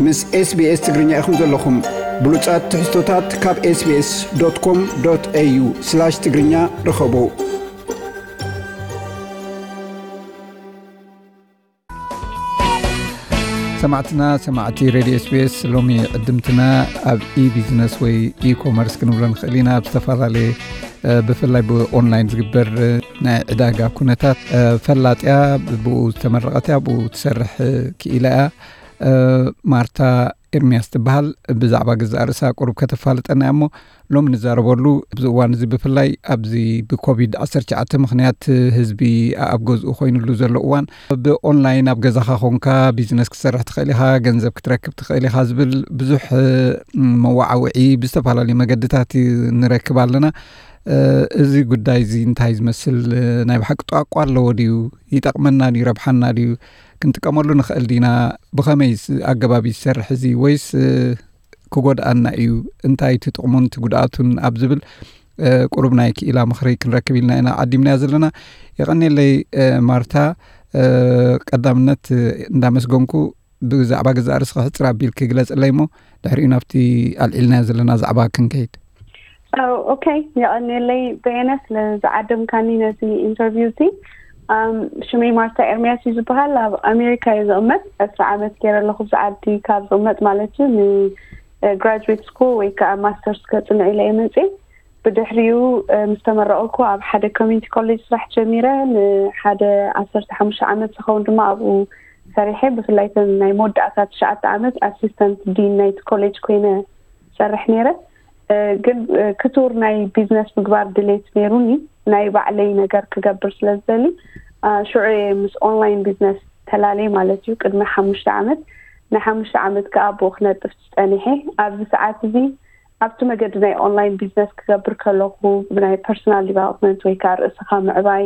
ምስ SBS ትግርኛ ኢኹም ዘለኹም። ብሉጻት ትሕዝቶታት ካብ SBS.com.au/ትግርኛ ርኸቡ። ሰማዕትና፣ ሰማዕቲ ሬድዮ SBS፣ ሎሚ ዕድምትና ኣብ ኢ-ቢዝነስ ወይ ኢ-ኮመርስ ክንብሎ ንኽእል ኢና። ኣብ ዝተፈላለየ፣ እ፣ ብፍላይ ብኦንላይን ዝግበር፣ እ፣ ናይ ዕዳጋ ኩነታት፣ እ፣ ፈላጥያ፣ ብኡ ዝተመረቐት እያ፣ ብኡ ትሰርሕ፣ እ፣ ክኢላ እያ። እ፣ ማርታ ኤርምያስ ትበሃል። ብዛዕባ ገዛእ ርእሳ ቁሩብ ከተፋልጠና እያ እሞ፣ ሎሚ ንዛረበሉ ኣብዚ እዋን እዚ ብፍላይ ኣብዚ ብኮቪድ ዓሰርተ ትሽዓተ ምኽንያት ህዝቢ ኣብ ገዝኡ ኮይኑሉ ዘሎ እዋን ብኦንላይን ኣብ ገዛኻ ኮንካ ቢዝነስ ክትሰርሕ ትኽእል ኢኻ፣ ገንዘብ ክትረክብ ትኽእል ኢኻ ዝብል ብዙሕ፣ እ፣ መዋዓውዒ ብዝተፈላለዩ መገድታት ንረክብ ኣለና። እ፣ እዚ ጉዳይ እዚ እንታይ ዝመስል፣ እ፣ ናይ ብሓቂ ጧቋ ኣለዎ ድዩ? ይጠቕመና ድዩ? ይረብሓና ድዩ? ክንጥቀመሉ ንኽእል ዲና? ብኸመይ ስ-፣ ኣገባብ ይሰርሕ እዚ? ወይስ፣ እ፣ ክጎድኣና እዩ? እንታይ እቲ ጥቕሙን እቲ ጉድኣቱን ኣብ ዝብል፣ እ፣ ቁሩብ ናይ ክኢላ ምኽሪ ክንረክብ ኢልና ኢና ዓዲምናዮ ዘለና። የቐንየለይ፣ እ፣ ማርታ፣ እ፣ ቀዳምነት፣ እ፣ እንዳመስገንኩ ብዛዕባ ገዛእ ርእስኻ ሕጽር ኣቢልኪ ግለጽለይ እሞ ድሕሪኡ ናብቲ ኣልዒልናዮ ዘለና ዛዕባ ክንከይድ። ኦ፣ ኦኬ፣ የቐንየለይ በየነ ስለ ዝዓደምካኒ ነዚ ኢንተርቪው እዚ። ኣም፣ ሽመይ ማርታ ኤርምያስ እዩ ዝበሃል። ኣብ ኣሜሪካ እየ ዝቕመጥ። ዕስራ ዓመት ገይረ ኣለኹ ኣብዚ ዓዲ። ካብ ዝቕመጥ ማለት እዩ፣ ን-፣ እ፣ ግራጁዌት ስኩል ወይ ከዓ ማስተርስ ከጽንዕ ኢለ እየ መጽየ። ብድሕሪኡ፣ እ፣ ምስ ተመረቕኩ ኣብ ሓደ ኮሚኒቲ ኮሌጅ ስራሕ ጀሚረ። ንሓደ ዓሰርተ ሓሙሽተ ዓመት ዝኸውን ድማ ኣብኡ ሰሪሐ። ብፍላይ እተን ናይ መወዳእታ ትሽዓተ ዓመት ኣሲስተንት ዲን ናይቲ ኮሌጅ ኮይነ ሰርሕ ነይረ። እ፣ ግን፣ እ፣ ክቱር ናይ ቢዝነስ ምግባር ድሌት ነይሩኒ፣ ናይ ባዕለይ ነገር ክገብር ስለ ዝደሊ። አ፣ ሽዑ እየ ምስ ኦንላይን ቢዝነስ ተላለየ ማለት እዩ። ቅድሚ ሓሙሽተ ዓመት፣ ንሓሙሽተ ዓመት ከኣ ብኡ ክነጥፍ ጸኒሐ። ኣብዚ ሰዓት እዚ ኣብቲ መገዲ ናይ ኦንላይን ቢዝነስ ክገብር ከለኹ፣ ብናይ ፐርሰናል ዲቨሎፕመንት ወይ ከኣ ርእስኻ ምዕባይ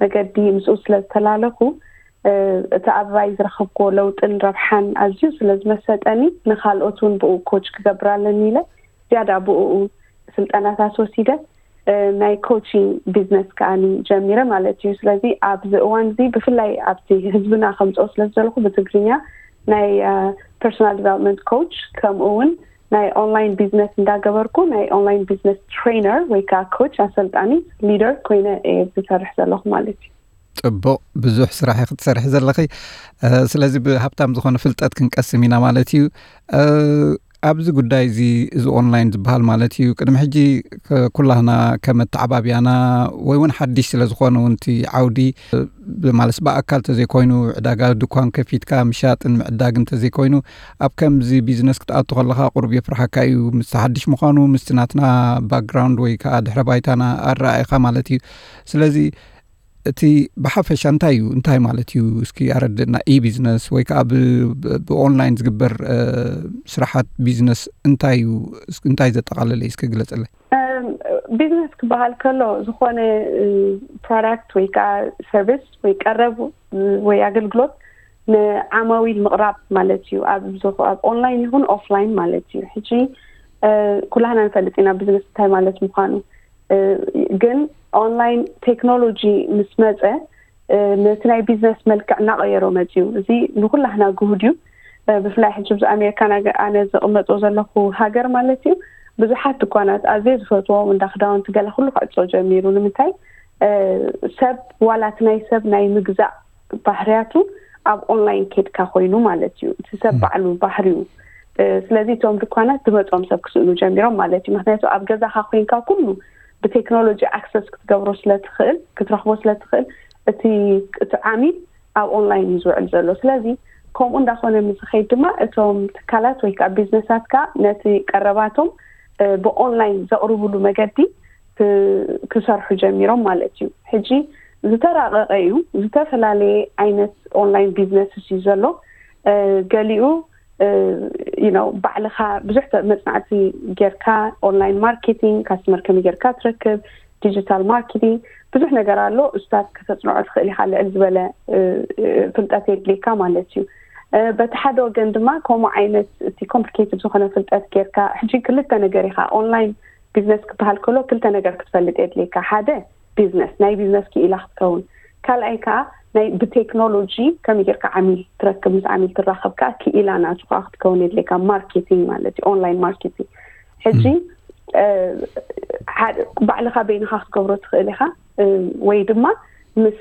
መገዲ ምስኡ ስለ ዝተላለኹ፣ እ፣ እቲ ኣባይ ዝረኸብክዎ ለውጥን ረብሓን ኣዝዩ ስለ ዝመሰጠኒ፣ ንኻልኦት እውን ብኡ ኮች ክገብር ኣለኒ ኢለ ዝያዳ ብኡ ስልጠናታት ወሲደ፣ እ፣ ናይ ኮቺንግ ቢዝነስ ከኣኒ ጀሚረ ማለት እዩ። ስለዚ ኣብዚ እዋን እዚ ብፍላይ ኣብቲ ህዝብና ከምፅኦ ስለ ዝደለኹ ብትግርኛ ናይ፣ እ፣ ፐርሶናል ዲቨሎፕመንት ኮች፣ ከምኡ እውን ናይ ኦንላይን ቢዝነስ እንዳገበርኩ ናይ ኦንላይን ቢዝነስ ትሬነር ወይ ከዓ ኮች፣ ኣሰልጣኒ፣ ሊደር ኮይነ እየ ዝሰርሕ ዘለኹ ማለት እዩ። ጽቡቕ፣ ብዙሕ ስራሕ ኢኺ ትሰርሒ ዘለኺ። እ፣ ስለዚ ብሃብታም ዝኾነ ፍልጠት ክንቀስም ኢና ማለት እዩ። እ፣ ኣብዚ ጉዳይ እዚ፣ እዚ ኦንላይን ዝበሃል ማለት እዩ፣ ቅድሚ ሕጂ ከ-፣ ኩላህና ከም ኣተዓባብያና ወይ እውን ሓድሽ ስለ ዝኾነ እውን እቲ ዓውዲ፣ እ፣ ብ-፣ ማለት ብኣካል ተዘይኮይኑ፣ ዕዳጋ ድኳን ከፊትካ ምሻጥን ምዕዳግን ተዘይኮይኑ፣ ኣብ ከምዚ ቢዝነስ ክትኣቱ ከለኻ ቁሩብ የፍርሓካ እዩ፣ ምስ ሓድሽ ምዃኑ፣ ምስቲ ናትና ባክግራውንድ ወይ ከዓ ድሕረ ባይታና ኣረኣእኻ ማለት እዩ። ስለዚ እቲ ብሓፈሻ እንታይ እዩ? እንታይ ማለት እዩ? እስኪ ኣረድእና። ኢ-ቢዝነስ ወይ ከዓ ብ-፣ ብ-፣ ብኦንላይን ዝግበር፣ እ፣ ስራሓት ቢዝነስ እንታይ እዩ? እስኪ እንታይ ዘጠቓለለ እዩ? እስኪ ግለጽለይ። እም፣ ቢዝነስ ክበሃል ከሎ ዝኾነ፣ እ፣ ፕሮዳክት ወይ ከዓ ሰርቪስ ወይ ቀረብ፣ እ፣ ወይ ኣገልግሎት ንዓማዊል ምቕራብ ማለት እዩ። ኣብ ዝኾ-፣ ኣብ ኦንላይን ይኹን ኦፍላይን ማለት እዩ። ሕጂ፣ እ፣ ኩላህና ንፈልጥ ኢና ቢዝነስ እንታይ ማለት ምዃኑ። እ፣ ግን ኦንላይን ቴክኖሎጂ ምስ መጸ፣ እ፣ ነቲ ናይ ቢዝነስ መልክዕ እናቐየሮ መጺኡ። እዚ ንኹላህና ግሁድ እዩ። እ፣ ብፍላይ ሕጂ ኣብዚ ኣሜሪካ ናገ-፣ ኣነ ዝቕመጦ ዘለኹ ሃገር ማለት እዩ፣ ብዙሓት ድኳናት ኣዝየ ዝፈትዎም እንዳ ክዳውንቲ ገለ ኩሉ ክዕጾ ጀሚሩ። ንምንታይ? እ፣ ሰብ ዋላ እቲ ናይ ሰብ ናይ ምግዛእ ባህርያቱ ኣብ ኦንላይን ኬድካ ኮይኑ ማለት እዩ። እቲ ሰብ ባዕሉ ባህሪኡ። እ፣ ስለዚ እቶም ድኳናት ዝመጾም ሰብ ክስእኑ ጀሚሮም ማለት እዩ። ምኽንያቱ ኣብ ገዛኻ ኮይንካ ኩሉ ብቴክኖሎጂ ኣክሰስ ክትገብሮ ስለ ትኽእል፣ ክትረኽቦ ስለ ትኽእል፣ እቲ፣ እቲ ዓሚል ኣብ ኦንላይን እዩ ዝውዕል ዘሎ። ስለዚ ከምኡ እንዳኾነ ምስ ዝኸይድ ድማ እቶም ትካላት ወይ ከዓ ቢዝነሳት ከዓ ነቲ ቀረባቶም፣ እ፣ ብኦንላይን ዘቕርብሉ መገዲ ክ-፣ ክሰርሑ ጀሚሮም ማለት እዩ። ሕጂ ዝተራቐቐ እዩ፣ ዝተፈላለየ ዓይነት ኦንላይን ቢዝነስስ እዩ ዘሎ። እ፣ ገሊኡ፣ እ፣ you know፣ ባዕልኻ ብዙሕ ተ-፣ መጽናዕቲ ጌርካ ኦንላይን ማርኬቲንግ፣ ካስተመር ከመይ ጌርካ ትረክብ፣ ዲጂታል ማርኬቲንግ፣ ብዙሕ ነገር ኣሎ። እሱታት ከተጽንዖ ትኽእል ኢኻ፣ ልዕል ዝበለ፣ እ፣ እ፣ ፍልጠት የድልየካ ማለት እዩ። እ፣ በቲ ሓደ ወገን ድማ ከምኡ ዓይነት እቲ ኮምፕሊኬትድ ዝኾነ ፍልጠት ጌርካ፣ ሕጂ ክልተ ነገር ኢኻ፣ ኦንላይን ቢዝነስ ክበሃል ከሎ ክልተ ነገር ክትፈልጥ የድልየካ። ሓደ ቢዝነስ፣ ናይ ቢዝነስ ክኢላ ክትከውን፣ ካልኣይ ከዓ ናይ ብቴክኖሎጂ ከመይ ጌርካ ዓሚል ትረክብ፣ ምስ ዓሚል ትራኸብ ከኣ ክኢላ ናቱ ከኣ ክትከውን የድልየካ። ማርኬቲንግ ማለት እዩ፣ ኦንላይን ማርኬቲንግ። ሕጂ ባዕልኻ በይንኻ ክትገብሮ ትኽእል ኢኻ፣ ወይ ድማ ምስ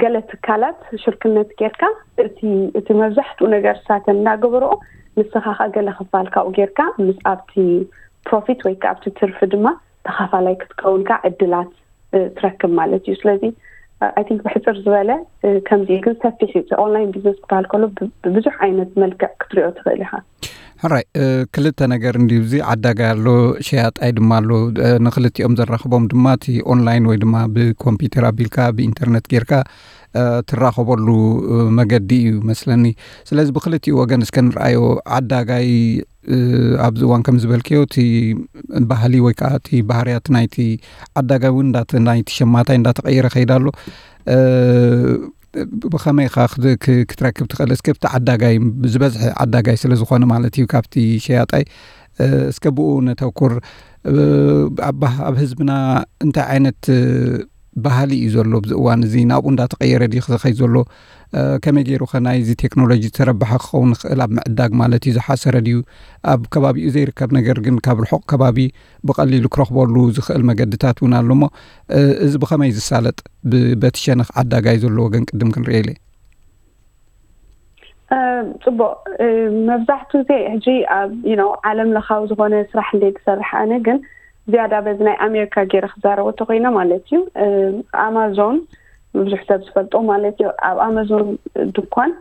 ገለ ትካላት ሽርክነት ጌርካ እቲ መብዛሕትኡ ነገር ሳተን እናገበርኦ ንስኻ ከኣ ገለ ክፋል ካብኡ ጌርካ ምስ ኣብቲ ፕሮፊት ወይ ከዓ ኣብቲ ትርፊ ድማ ተኻፋላይ ክትከውን ከዓ ዕድላት ትረክብ ማለት እዩ። ስለዚ ኣይ ቲንክ ብሕፅር ዝበለ ከምዚ እዩ፣ ግን ሰፊሕ እዩ። ኦንላይን ቢዝነስ ክበሃል ከሎ ብብዙሕ ዓይነት መልክዕ ክትሪኦ ትኽእል ኢኻ። ሕራይ፣ ክልተ ነገር እንዲዩ። እዚ ዓዳጋይ ኣሎ፣ ሸያጣይ ድማ ኣሎ። ንክልቲኦም ዘራኽቦም ድማ እቲ ኦንላይን ወይ ድማ ብኮምፒውተር ኣቢልካ ብኢንተርነት ጌርካ ትራኸበሉ መገዲ እዩ መስለኒ። ስለዚ ብክልቲኡ ወገን እስከ ንርኣዮ። ዓዳጋይ ኣብዚ እዋን ከም ዝበልክዮ እቲ ባህሊ ወይ ከዓ እቲ ባህርያት ናይቲ ዓዳጋይ እውን ናይቲ ሸማታይ እንዳተቐየረ ከይዳ ኣሎ። ብኸመይ ኢኻ ክትረክብ ትኽእል? እስከ ኣብቲ ዓዳጋይ፣ ዝበዝሐ ዓዳጋይ ስለ ዝኾነ ማለት እዩ ካብቲ ሸያጣይ፣ እስከ ብኡ ነተኩር። ኣብ ህዝብና እንታይ ዓይነት ባህሊ እዩ ዘሎ ኣብዚ እዋን እዚ? ናብኡ እንዳተቐየረ ድዩ ዝኸይድ ዘሎ? ከመይ ገይሩ ከ ናይዚ ቴክኖሎጂ ተረባሒ ክኸውን ይኽእል ኣብ ምዕዳግ ማለት እዩ? ዝሓሰረ ድዩ? ኣብ ከባቢኡ ዘይርከብ ነገር ግን ካብ ርሑቕ ከባቢ ብቐሊሉ ክረኽበሉ ዝኽእል መገድታት እውን ኣሎ እሞ፣ እዚ ብኸመይ ዝሳለጥ? በቲ ሸነኽ ዓዳጋይ ዘሎ ወገን ቅድም ክንርኢ ኢለ። ፅቡቅ። መብዛሕትኡ ግዜ ሕጂ ኣብ ዓለም ለኻዊ ዝኾነ ስራሕ እንደ ትሰርሕ ኣነ ግን ዝያዳ በዚ ናይ ኣሜሪካ ገይረ ክዛረቦ ተኮይነ ማለት እዩ። ኣማዞን ብዙሕ ሰብ ዝፈልጦ ማለት እዩ። ኣብ ኣማዞን ድኳን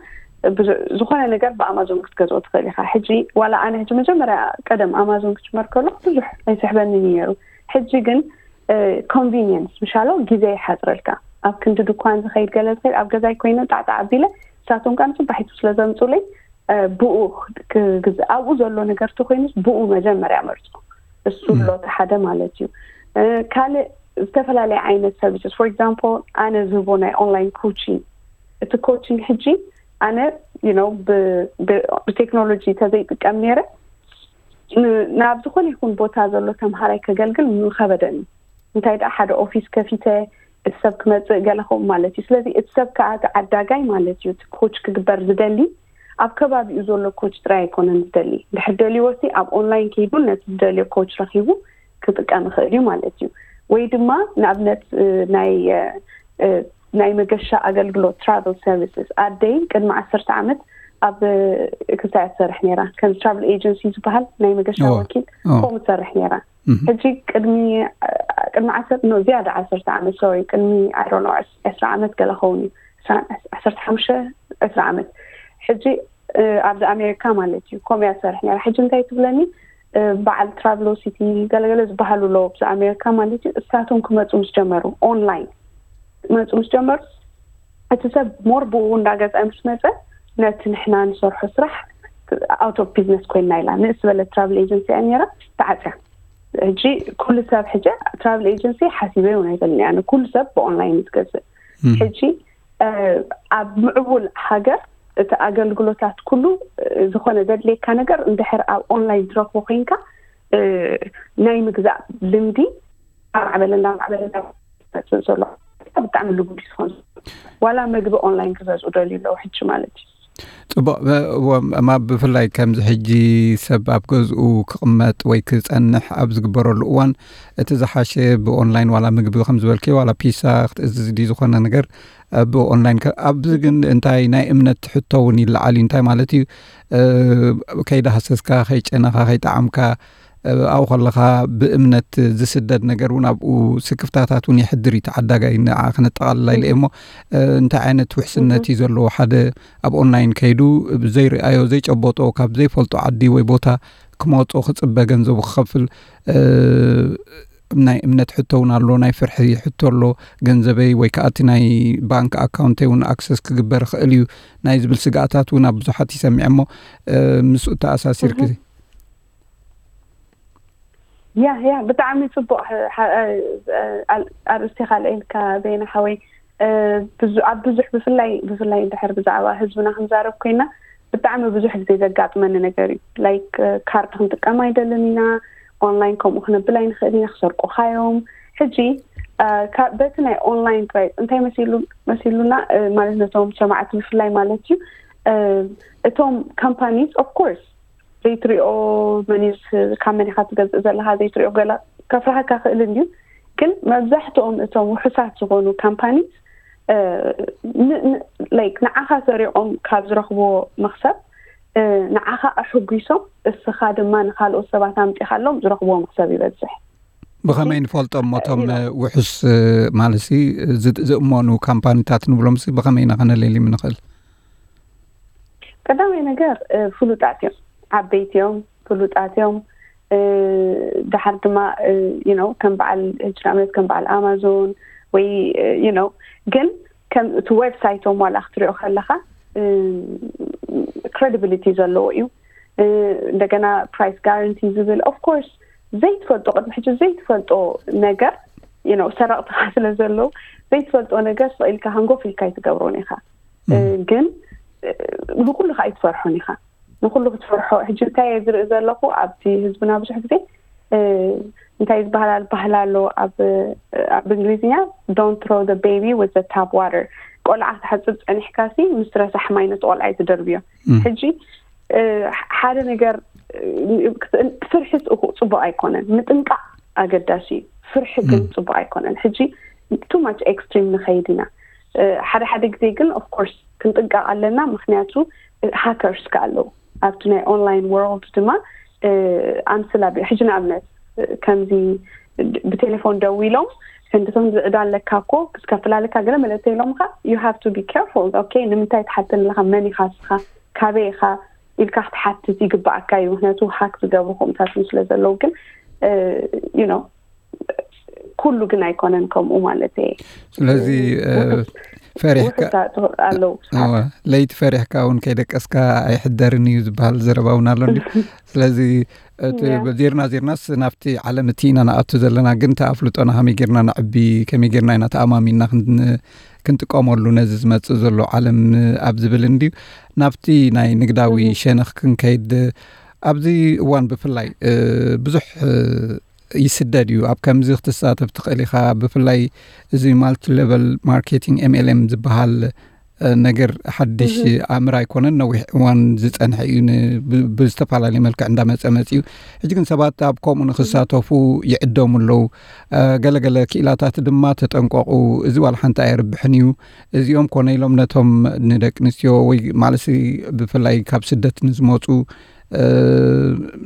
ዝኾነ ነገር ብኣማዞን ክትገዝኦ ትኽእል ኢኻ። ሕጂ ዋላ ኣነ ሕጂ መጀመርያ ቀደም ኣማዞን ክጅመር ከሎ ብዙሕ ኣይስሕበኒ ነይሩ። ሕጂ ግን ኮንቪኒየንስ ምሻሎ ግዜ ይሓፅረልካ። ኣብ ክንዲ ድኳን ዝኸይድ ገለ ዝኸይድ ኣብ ገዛይ ኮይነ ጣዕጣዕ ኣቢለ ንሳቶም ከዓ ንፅባሒቱ ስለ ዘምፁለይ ብኡ ክግዝእ ኣብኡ ዘሎ ነገር ተኮይኑስ ብኡ መጀመርያ መርፁ። እሱ ኣሎ እቲ ሓደ ማለት እዩ። ካልእ ዝተፈላለየ ዓይነት ሰርቪስስ for example ኣነ ዝህቦ ናይ ኦንላይን ኮቺንግ። እቲ ኮቺንግ ሕጂ ኣነ you know ብቴክኖሎጂ ተዘይጥቀም ነይረ ናብ ዝኾነ ይኹን ቦታ ዘሎ ተምሃራይ ከገልግል ምኸበደኒ። እንታይ ደኣ ሓደ ኦፊስ ከፊተ እቲ ሰብ ክመፅእ ገለ ከምኡ ማለት እዩ። ስለዚ እቲ ሰብ ከዓ እቲ ዓዳጋይ ማለት እዩ፣ እቲ ኮች ክግበር ዝደሊ ኣብ ከባቢኡ ዘሎ ኮች ጥራይ ኣይኮነን ዝደሊ። ድሕር ደልዎ ሲ ኣብ ኦንላይን ከይዱ ነቲ ዝደልዮ ኮች ረኪቡ ክጥቀም ይኽእል እዩ ማለት እዩ። ወይ ድማ ንኣብነት ናይ ናይ መገሻ ኣገልግሎት ትራቨል ሰርቪስስ ኣደይ ቅድሚ ዓሰርተ ዓመት ኣብ ክሳያ ትሰርሕ ነይራ። ከም ትራቨል ኤጀንሲ ዝበሃል ናይ መገሻ ወኪል ከምኡ ትሰርሕ ነይራ። ሕጂ ቅድሚ ቅድሚ ዓሰርተ ኖ ዝያዳ ዓሰርተ ዓመት ሶሪ ቅድሚ ኣይ ዶንት ኖ ዕስራ ዓመት ገለ ኸውን እዩ። ዓሰርተ ሓሙሽተ ዕስራ ዓመት ሕጂ ኣብዚ ኣሜሪካ ማለት እዩ ከምኡ እያ ትሰርሕ ነይራ። ሕጂ እንታይ ትብለኒ በዓል ትራቭሎሲቲ ገለገለ ዝበሃሉ ኣለዉ ኣብዚ ኣሜሪካ ማለት እዩ። እሳቶም ክመፁ ምስ ጀመሩ ኦንላይን ክመፁ ምስ ጀመሩ እቲ ሰብ ሞር ብኡ እንዳገዝአ ምስ መፀ ነቲ ንሕና ንሰርሖ ስራሕ ኣውት ኦፍ ቢዝነስ ኮይና ኢላ ንእስ ዝበለት ትራቭል ኤጀንሲ እያ ነይራ ተዓፅያ። ሕጂ ኩሉ ሰብ ሕጂ ትራቭል ኤጀንሲ ሓሲበ እውን ኣይበልኒ ኣነ ኩሉ ሰብ ብኦንላይን እዩ ዝገዝእ። ሕጂ ኣብ ምዕቡል ሃገር እቲ ኣገልግሎታት ኩሉ ዝኾነ ዘድልየካ ነገር እንድሕር ኣብ ኦንላይን ትረክቦ ኮይንካ ናይ ምግዛእ ልምዲ ኣማዕበለ እንዳማዕበለ እንዳመፅእ ዘሎ ብጣዕሚ ልጉድ እዩ ዝኾን ዋላ ምግቢ ኦንላይን ክገዝኡ ደልዩ ኣለዉ ሕጂ ማለት እዩ። ፅቡቅ። እማ ብፍላይ ከምዚ ሕጂ ሰብ ኣብ ገዝኡ ክቕመጥ ወይ ክፀንሕ ኣብ ዝግበረሉ እዋን እቲ ዝሓሸ ብኦንላይን ዋላ ምግቢ ከም ዝበልከ ዋላ ፒሳ ክትእዝዝ ድዩ ዝኾነ ነገር ብኦንላይን ኣብዚ ግን እንታይ ናይ እምነት ሕቶ እውን ይለዓል እዩ። እንታይ ማለት እዩ? ከይዳሃሰስካ ከይጨነኻ ከይጠዓምካ ኣብኡ ከለኻ ብእምነት ዝስደድ ነገር እውን ኣብኡ ስክፍታታት እውን የሕድር እዩ። ተዓዳጋይ ንዓ ክነጠቓልላ ኢለ እሞ እንታይ ዓይነት ውሕስነት እዩ ዘለዎ? ሓደ ኣብ ኦንላይን ከይዱ ዘይረኣዮ ዘይጨበጦ ካብ ዘይፈልጦ ዓዲ ወይ ቦታ ክመፆ ክፅበ ገንዘቡ ክኸፍል ናይ እምነት ሕቶ እውን ኣሎ፣ ናይ ፍርሒ ሕቶ ኣሎ። ገንዘበይ ወይ ከዓ እቲ ናይ ባንክ ኣካውንተይ እውን ኣክሰስ ክግበር ይኽእል እዩ ናይ ዝብል ስግኣታት እውን ኣብ ብዙሓት ይሰሚዐ እሞ ምስኡ ተኣሳሲርክ ያ ያ ብጣዕሚ ፅቡቅ ኣርእስቲ ካልአ ኢልካ በይነ ሓወይ ኣብ ብዙሕ ብፍላይ ብፍላይ እንድሕር ብዛዕባ ህዝብና ክንዛረብ ኮይና ብጣዕሚ ብዙሕ ግዜ ዘጋጥመኒ ነገር እዩ። ላይክ ካርድ ክንጥቀም ኣይደልን ኢና፣ ኦንላይን ከምኡ ክነብል ኣይንኽእል ኢና፣ ክሰርቁኻ እዮም። ሕጂ በቲ ናይ ኦንላይን ጥራይ እንታይ መሲሉና ማለት ነቶም ሰማዕቲ ብፍላይ ማለት እዩ። እቶም ካምፓኒስ ኦፍኮርስ ዘይትሪኦ መኒስ ካብ መን ኢኻ ትገዝእ ዘለካ ዘይትሪኦ ገላ ከፍራሃካ ክእል እንድዩ። ግን መብዛሕትኦም እቶም ውሑሳት ዝኾኑ ካምፓኒስ ላይክ ንዓኻ ሰሪቖም ካብ ዝረኽብዎ መክሰብ ንዓኻ ኣሕጒሶም እስኻ ድማ ንካልኦት ሰባት ኣምፂኻሎም ዝረኽብዎ መክሰብ ይበዝሕ። ብኸመይ ንፈልጦም እቶም ውሑስ ማለት ዝእመኑ ካምፓኒታት ንብሎም ብኸመይ ኢና ከነለልዮም ንኽእል? ቀዳማይ ነገር ፍሉጣት እዮም፣ ዓበይቲ እዮም፣ ፍሉጣት እዮም። ድሓር ድማ ከም በዓል ሕጂ ንኣብነት ከም በዓል ኣማዞን ወይ ግን ከም እቲ ዌብሳይቶም ዋላ ክትሪኦ ከለካ ክሬዲቢሊቲ ዘለዎ እዩ። እንደገና ፕራይስ ጋራንቲ ዝብል ኦፍኮርስ ዘይትፈልጦ ቅድሚ ሕጂ ዘይትፈልጦ ነገር ሰረቕትኻ ስለ ዘለዉ ዘይትፈልጦ ነገር ስቕ ኢልካ ሃንጎፍ ኢልካ ኣይትገብሮን ኢኻ። ግን ንኩሉ ከዓ ኣይትፈርሖን ኢኻ። ንኩሉ ክትፈርሖ ሕጂ እንታይ እየ ዝርኢ ዘለኹ ኣብቲ ህዝብና ብዙሕ ግዜ እንታይ ዝበሃል ባህል ኣሎ ኣብ እንግሊዝኛ don't throw the baby with the tap water። ቆልዓ ክትሓፅብ ፀኒሕካ ሲ ምስ ረሳሕ ማይ ነቲ ቆልዓ እዩ ትደርብዮ። ሕጂ ሓደ ነገር ፍርሒ ፅቡቅ ኣይኮነን፣ ምጥንቃቅ ኣገዳሲ እዩ። ፍርሒ ግን ፅቡቅ ኣይኮነን። ሕጂ too much extreme ንኸይድ ኢና። ሓደ ሓደ ግዜ ግን ኦፍኮርስ ክንጥንቀቅ ኣለና፣ ምክንያቱ ሃከርስ ከ ኣለዉ ኣብቲ ናይ ኦንላይን ወርልድ ድማ ኣምስላ ሕጂ ንኣብነት ከምዚ ብቴሌፎን ደዊሎም ፈንድቶም ዝዕዳ ኣለካ እኮ ክትከፍል ኣለካ ገለ መለ ተይሎምካ you have to be careful okay ንምንታይ ትሓተኒ ኣለካ መን ኢካ ስኻ ካበይ ኢካ ኢልካ ክትሓትት ይግባኣካ እዩ ምክንያቱ ሃክ ዝገብሩ ከምታት ስለ ዘለዉ ግን you know ኩሉ ግን ኣይኮነን ከምኡ ማለት እየ ስለዚ ፈሪሕካ ኣለዉ ለይቲ ፈሪሕካ እውን ከይደቀስካ ኣይሕደርን እዩ ዝበሃል ዘረባ እውን ኣሎ እንዲ ስለዚ ዜርና ዜርናስ ናብቲ ዓለም እቲ ኢና ንኣቱ ዘለና ግን ተኣፍልጦና ከመይ ጌርና ንዕቢ ከመይ ጌርና ኢና ተኣማሚና ክንጥቀመሉ ነዚ ዝመፅእ ዘሎ ዓለም ኣብ ዝብል እንድዩ ናብቲ ናይ ንግዳዊ ሸነኽ ክንከይድ ኣብዚ እዋን ብፍላይ ብዙሕ ይስደድ እዩ ኣብ ከምዚ ክትሳተፍ ትኽእል ኢኻ ብፍላይ እዚ multi level marketing MLM ዝበሃል ነገር ሓድሽ ኣምር ኣይኮነን ነዊሕ እዋን ዝፀንሐ እዩ ብዝተፈላለዩ መልክዕ እንዳመፀ መፅኡ ሕጂ ግን ሰባት ኣብ ከምኡ ንክሳተፉ ይዕደሙ ኣለዉ ገለገለ ክኢላታት ድማ ተጠንቀቁ እዚ ዋላ ሓንቲ ኣየርብሕን እዩ እዚኦም ኮነ ኢሎም ነቶም ንደቂ ኣንስትዮ ወይ ማለት ብፍላይ ካብ ስደት ንዝመፁ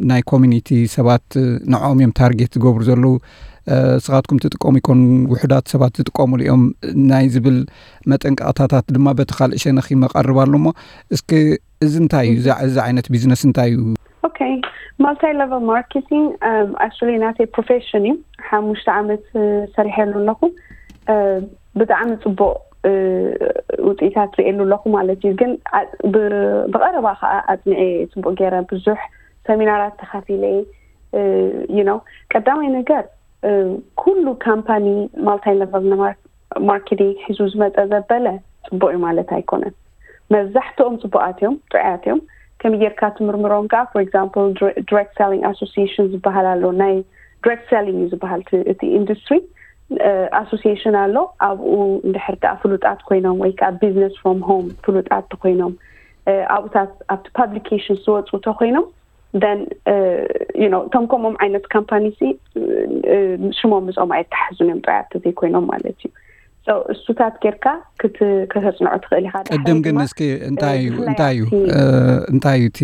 ናይ ኮሚኒቲ ሰባት ንዕኦም እዮም ታርጌት ዝገብሩ ዘለዉ ስኻትኩም ትጥቀሙ ይኮን ውሕዳት ሰባት ዝጥቀሙሉ እዮም ናይ ዝብል መጠንቀቕታታት ድማ በቲ ካልእ ሸነኽ ይመቐርብ ኣሎ እሞ እስኪ እዚ እንታይ እዩ እዚ ዓይነት ቢዝነስ እንታይ እዩ okay multi level marketing actually ናተይ profession እዩ ሓሙሽተ ዓመት ሰሪሐሉ ኣለኹ ብጣዕሚ ፅቡቅ ውፅኢታት ርእየሉ ኣለኹ ማለት እዩ ግን ብቀረባ ከዓ ኣፅኒዐ ፅቡቅ ገይረ ብዙሕ ሰሚናራት ተካፊለ you know ቀዳማይ ነገር ኩሉ ካምፓኒ multi level marketing ሒዙ ዝመፀ ዘበለ ፅቡቅ እዩ ማለት ኣይኮነን መብዛሕትኦም ፅቡቃት እዮም ጥዑያት እዮም ከመይ ጌርካ ትምርምሮም ከዓ for example direct selling association ዝበሃል ኣሎ ናይ direct selling እዩ ዝበሃል እቲ industry association ኣሎ ኣብኡ እንድሕር ከዓ ፍሉጣት ኮይኖም ወይ ከዓ business from home ፍሉጣት ተኮይኖም ኣብኡታት ኣብቲ publication ዝወፁ ተኮይኖም then you know እቶም ከምኦም ዓይነት ካምፓኒ ሲ ሽሞም ምስኦም ኣይተሓዙን እዮም ጥራያት ዘይኮይኖም ማለት እዩ እሱታት ጌርካ ከተፅንዖ ትኽእል ኢኻ ቅድም ግን እስኪ እንታይ እዩ እንታይ እዩ እንታይ እዩ እቲ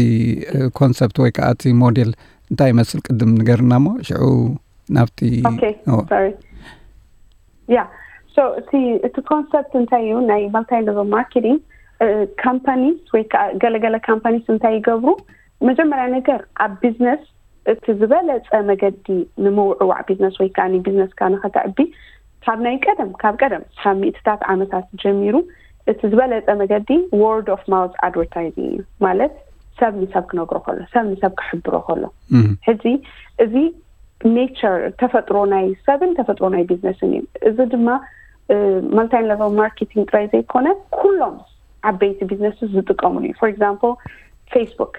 ኮንሰፕት ወይ ከዓ እቲ ሞዴል እንታይ ይመስል ቅድም ንገርና ሞ ሽዑ ናብቲ ያ እቲ ኮንሰፕት እንታይ እዩ ናይ multi level marketing companies ወይ ከዓ ገለገለ companies እንታይ ይገብሩ መጀመርያ ነገር ኣብ ቢዝነስ እቲ ዝበለፀ መገዲ ንምውዕዋዕ ቢዝነስ ወይ ከዓ ቢዝነስካ ንኸተዕቢ ካብ ናይ ቀደም ካብ ቀደም ካብ ሚእትታት ዓመታት ጀሚሩ እቲ ዝበለፀ መገዲ word of mouth advertising እዩ ማለት ሰብ ንሰብ ክነግሮ ከሎ ሰብ ንሰብ ክሕብሮ ከሎ ሕጂ እዚ nature ተፈጥሮ ናይ ሰብን ተፈጥሮ ናይ ቢዝነስን እዩ እዚ ድማ multi level marketing ጥራይ ዘይኮነ ኩሎም ዓበይቲ ቢዝነስ ዝጥቀሙሉ እዩ for example Facebook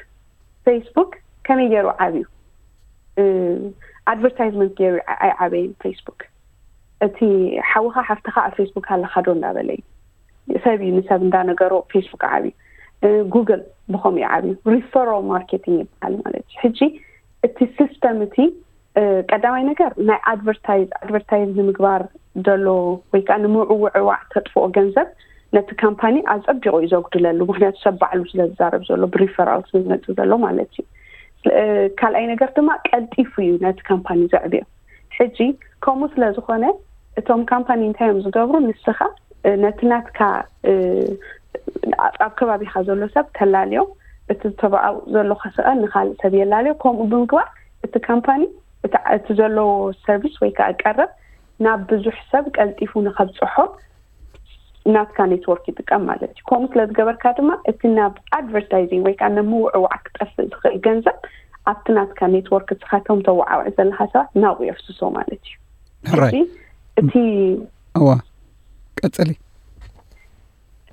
Facebook ከመይ ገይሩ ዓብዩ advertisement ገይሩ ኣይዓበየን Facebook እቲ ሓውኻ ሓፍትኻ ኣብ ፌስቡክ ኣለኻ ዶ እንዳበለ እዩ። ሰብ እዩ ንሰብ እንዳነገሮ ፌስቡክ ዓብዩ። ጉግል ብኸምኡ እዩ ዓብዩ። ሪፈራል ማርኬቲንግ ይበሃል ማለት እዩ። ሕጂ እቲ ሲስተም እቲ ቀዳማይ ነገር ናይ ኣድቨርታይዝ ኣድቨርታይዝ ንምግባር ዘሎ ወይ ከዓ ንምውዕዋዕ ተጥፍኦ ገንዘብ ነቲ ካምፓኒ ኣፀቢቑ እዩ ዘጉድለሉ። ምክንያቱ ሰብ ባዕሉ ስለ ዝዛረብ ዘሎ ብሪፈራል ስለ ዝመፅእ ዘሎ ማለት እዩ። ካልኣይ ነገር ድማ ቀልጢፉ እዩ ነቲ ካምፓኒ ዘዕብዮ። ሕጂ ከምኡ ስለ ዝኾነ እቶም ካምፓኒ እንታይ እዮም ዝገብሩ? ንስኻ ነቲ ናትካ ኣብ ከባቢኻ ዘሎ ሰብ ተላልዮ፣ እቲ ተባኣው ዘሎ ከስቐ ንካልእ ሰብ የላልዮ። ከምኡ ብምግባር እቲ ካምፓኒ እቲ ዘለዎ ሰርቪስ ወይ ከዓ ቀረብ ናብ ብዙሕ ሰብ ቀልጢፉ ንኸብፅሖ ናትካ ኔትወርክ ይጥቀም ማለት እዩ። ከምኡ ስለ ዝገበርካ ድማ እቲ ናብ ኣድቨርታይዚንግ ወይ ከዓ ንምውዕዋዕ ክጠፍእ ዝኽእል ገንዘብ ኣብቲ ናትካ ኔትወርክ ንስኻቶም ተወዓውዕ ዘለካ ሰባት ናብኡ የፍስሶ ማለት እዩ። ሕጂ እቲ እዋ ቀፅሊ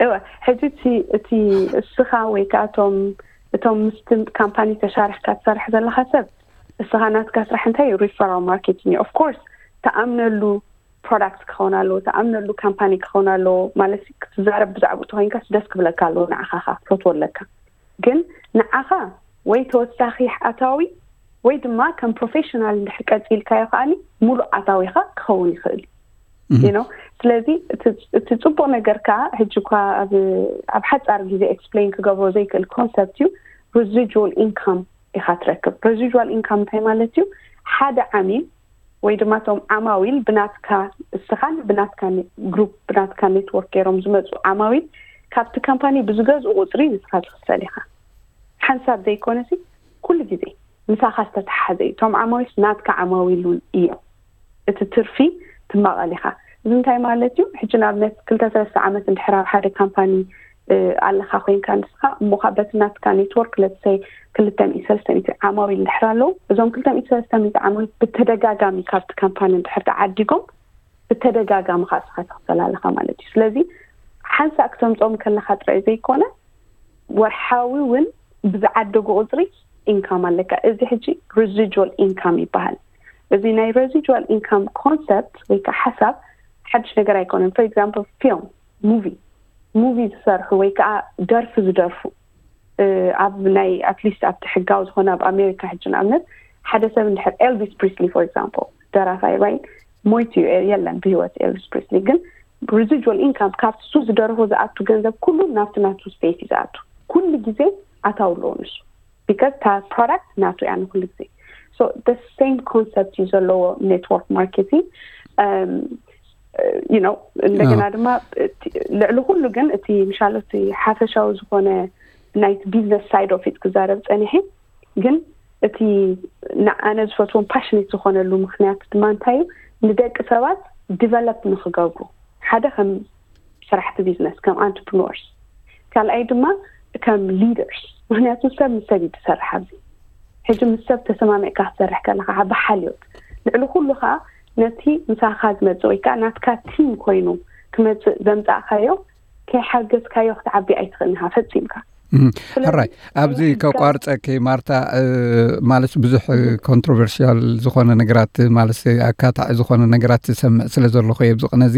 እወ ሕጂ እቲ እቲ እስኻ ወይ ከዓ እቶም እቶም ምስቲ ካምፓኒ ተሻርሕካ ትሰርሕ ዘለካ ሰብ እስኻ ናትካ ስራሕ እንታይ እዩ? ሪፈራል ማርኬቲንግ እዩ። ኦፍኮርስ ተኣምነሉ ፕሮዳክት ክኸውን ኣለዎ፣ ተኣምነሉ ካምፓኒ ክኸውን ኣለዎ። ማለት ክትዛረብ ብዛዕባኡ ተኮይንካስ ደስ ክብለካ ኣለዎ፣ ንዓኻ ከኣ ክፈትዎ ኣለካ። ግን ንዓኻ ወይ ተወሳኺ ኣታዊ ወይ ድማ ከም ፕሮፌሽናል እንድሕር ቀፂልካዮ ከኣኒ ሙሉእ ኣታዊኻ ክኸውን ይኽእል እዩ። You know? ስለዚ እቲ እቲ ፅቡቅ ነገር ከዓ ሕጂ እኳ ኣብ ኣብ ሓፃር ግዜ ኤክስፕሌን ክገብሮ ዘይክእል ኮንሰፕት እዩ። ሪዚጁዋል ኢንካም ኢኻ ትረክብ። ሪዚጁዋል ኢንካም እንታይ ማለት እዩ? ሓደ ዓሚል ወይ ድማ እቶም ዓማዊል ብናትካ እስኻን ብናትካ ግሩፕ ብናትካ ኔትወርክ ገይሮም ዝመፁ ዓማዊል ካብቲ ካምፓኒ ብዝገዝኡ ቁፅሪ ንስኻ ትኽፈል ኢኻ። ሓንሳብ ዘይኮነሲ ኩሉ ግዜ ምሳኻ ዝተተሓሓዘ እዩ። እቶም ዓማዊል ናትካ ዓማዊል እውን እዮም። እቲ ትርፊ ትማቐል ኢኻ። እዚ እንታይ ማለት እዩ? ሕጂ ንኣብነት ክልተ ሰለስተ ዓመት እንድሕር ኣብ ሓደ ካምፓኒ ኣለኻ ኮይንካ ንስኻ እሞ ካብ በቲ ናትካ ኔትወርክ ለትሰይ ክልተ ሚእቲ ሰለስተ ሚእቲ ዓማዊል እንድሕር ኣለዉ፣ እዞም ክልተ ሚእቲ ሰለስተ ሚእቲ ዓማዊል ብተደጋጋሚ ካብቲ ካምፓኒ እንድሕር ተዓዲጎም ብተደጋጋሚ ከዓ ንስኻ ትኽፈል ኣለኻ ማለት እዩ። ስለዚ ሓንሳእ ክተምፅኦም ከለኻ ጥራይ ዘይኮነ ወርሓዊ እውን ብዝዓደጉ ቁፅሪ ኢንካም ኣለካ። እዚ ሕጂ ሪዚጁዋል ኢንካም ይበሃል። እዚ ናይ ሬዚጁዋል ኢንካም ኮንሰፕት ወይ ከዓ ሓሳብ ሓድሽ ነገር ኣይኮነን። ፎር ኤግዛምፕል ፊልም፣ ሙቪ ሙቪ ዝሰርሑ ወይ ከዓ ደርፊ ዝደርፉ ኣብ ናይ ኣትሊስት ኣብቲ ሕጋዊ ዝኾነ ኣብ ኣሜሪካ ሕጂ ንኣብነት ሓደ ሰብ እንድሕር ኤልቪስ ፕሪስሊ ፎር ኤግዛምፕል ደራፋይ ራይት ሞይቱ የለን ብህይወት ኤልቪስ ፕሪስሊ ግን ሪዚጁዋል ኢንካም ካብቲ እሱ ዝደረፎ ዝኣቱ ገንዘብ ኩሉ ናብቲ ናቱ ስፔስ እዩ ዝኣቱ። ኩሉ ግዜ ኣታዊ ኣለዎ ንሱ ቢካዝ እታ ፕሮዳክት ናቱ እያ ንኩሉ ግዜ። So the same concept እዩ ዘለዎ ኔትወርክ ማርኬቲንግ። You know እንደገና ድማ ልዕሊ ኩሉ ግን እቲ ምሻሎ እቲ ሓፈሻዊ ዝኾነ ናይቲ ቢዝነስ ሳይድ ኦፍ ኢት ክዛረብ ፀኒሐ ግን እቲ ንኣነ ዝፈትዎም ፓሽኔት ዝኾነሉ ምክንያት ድማ እንታይ እዩ? ንደቂ ሰባት ዲቨሎፕ ንክገብሩ ሓደ ከም ሰራሕቲ ቢዝነስ ከም ኣንትርፕርነርስ፣ ካልኣይ ድማ ከም ሊደርስ። ምክንያቱ ሰብ ምስ ሰብ እዩ ትሰርሕ ኣብዚ ሕጂ ምስ ሰብ ተሰማሚዕካ ክትሰርሕ ከለካ ብሓልዮት ልዕሊ ኩሉ ከዓ ነቲ ምሳኻ ዝመፅእ ወይ ከዓ ናትካ ቲም ኮይኑ ክመፅእ ዘምፃእካዮ ከይሓገዝካዮ ክትዓቢ ኣይትኽእልን ኢኻ ፈፂምካ። ሕራይ ኣብዚ ከቋርፀኪ ማርታ፣ ማለት ብዙሕ ኮንትሮቨርሽያል ዝኾነ ነገራት ማለት ኣካታዒ ዝኾነ ነገራት ዝሰምዕ ስለ ዘለኹ እየ ኣብዚ ቅነ እዚ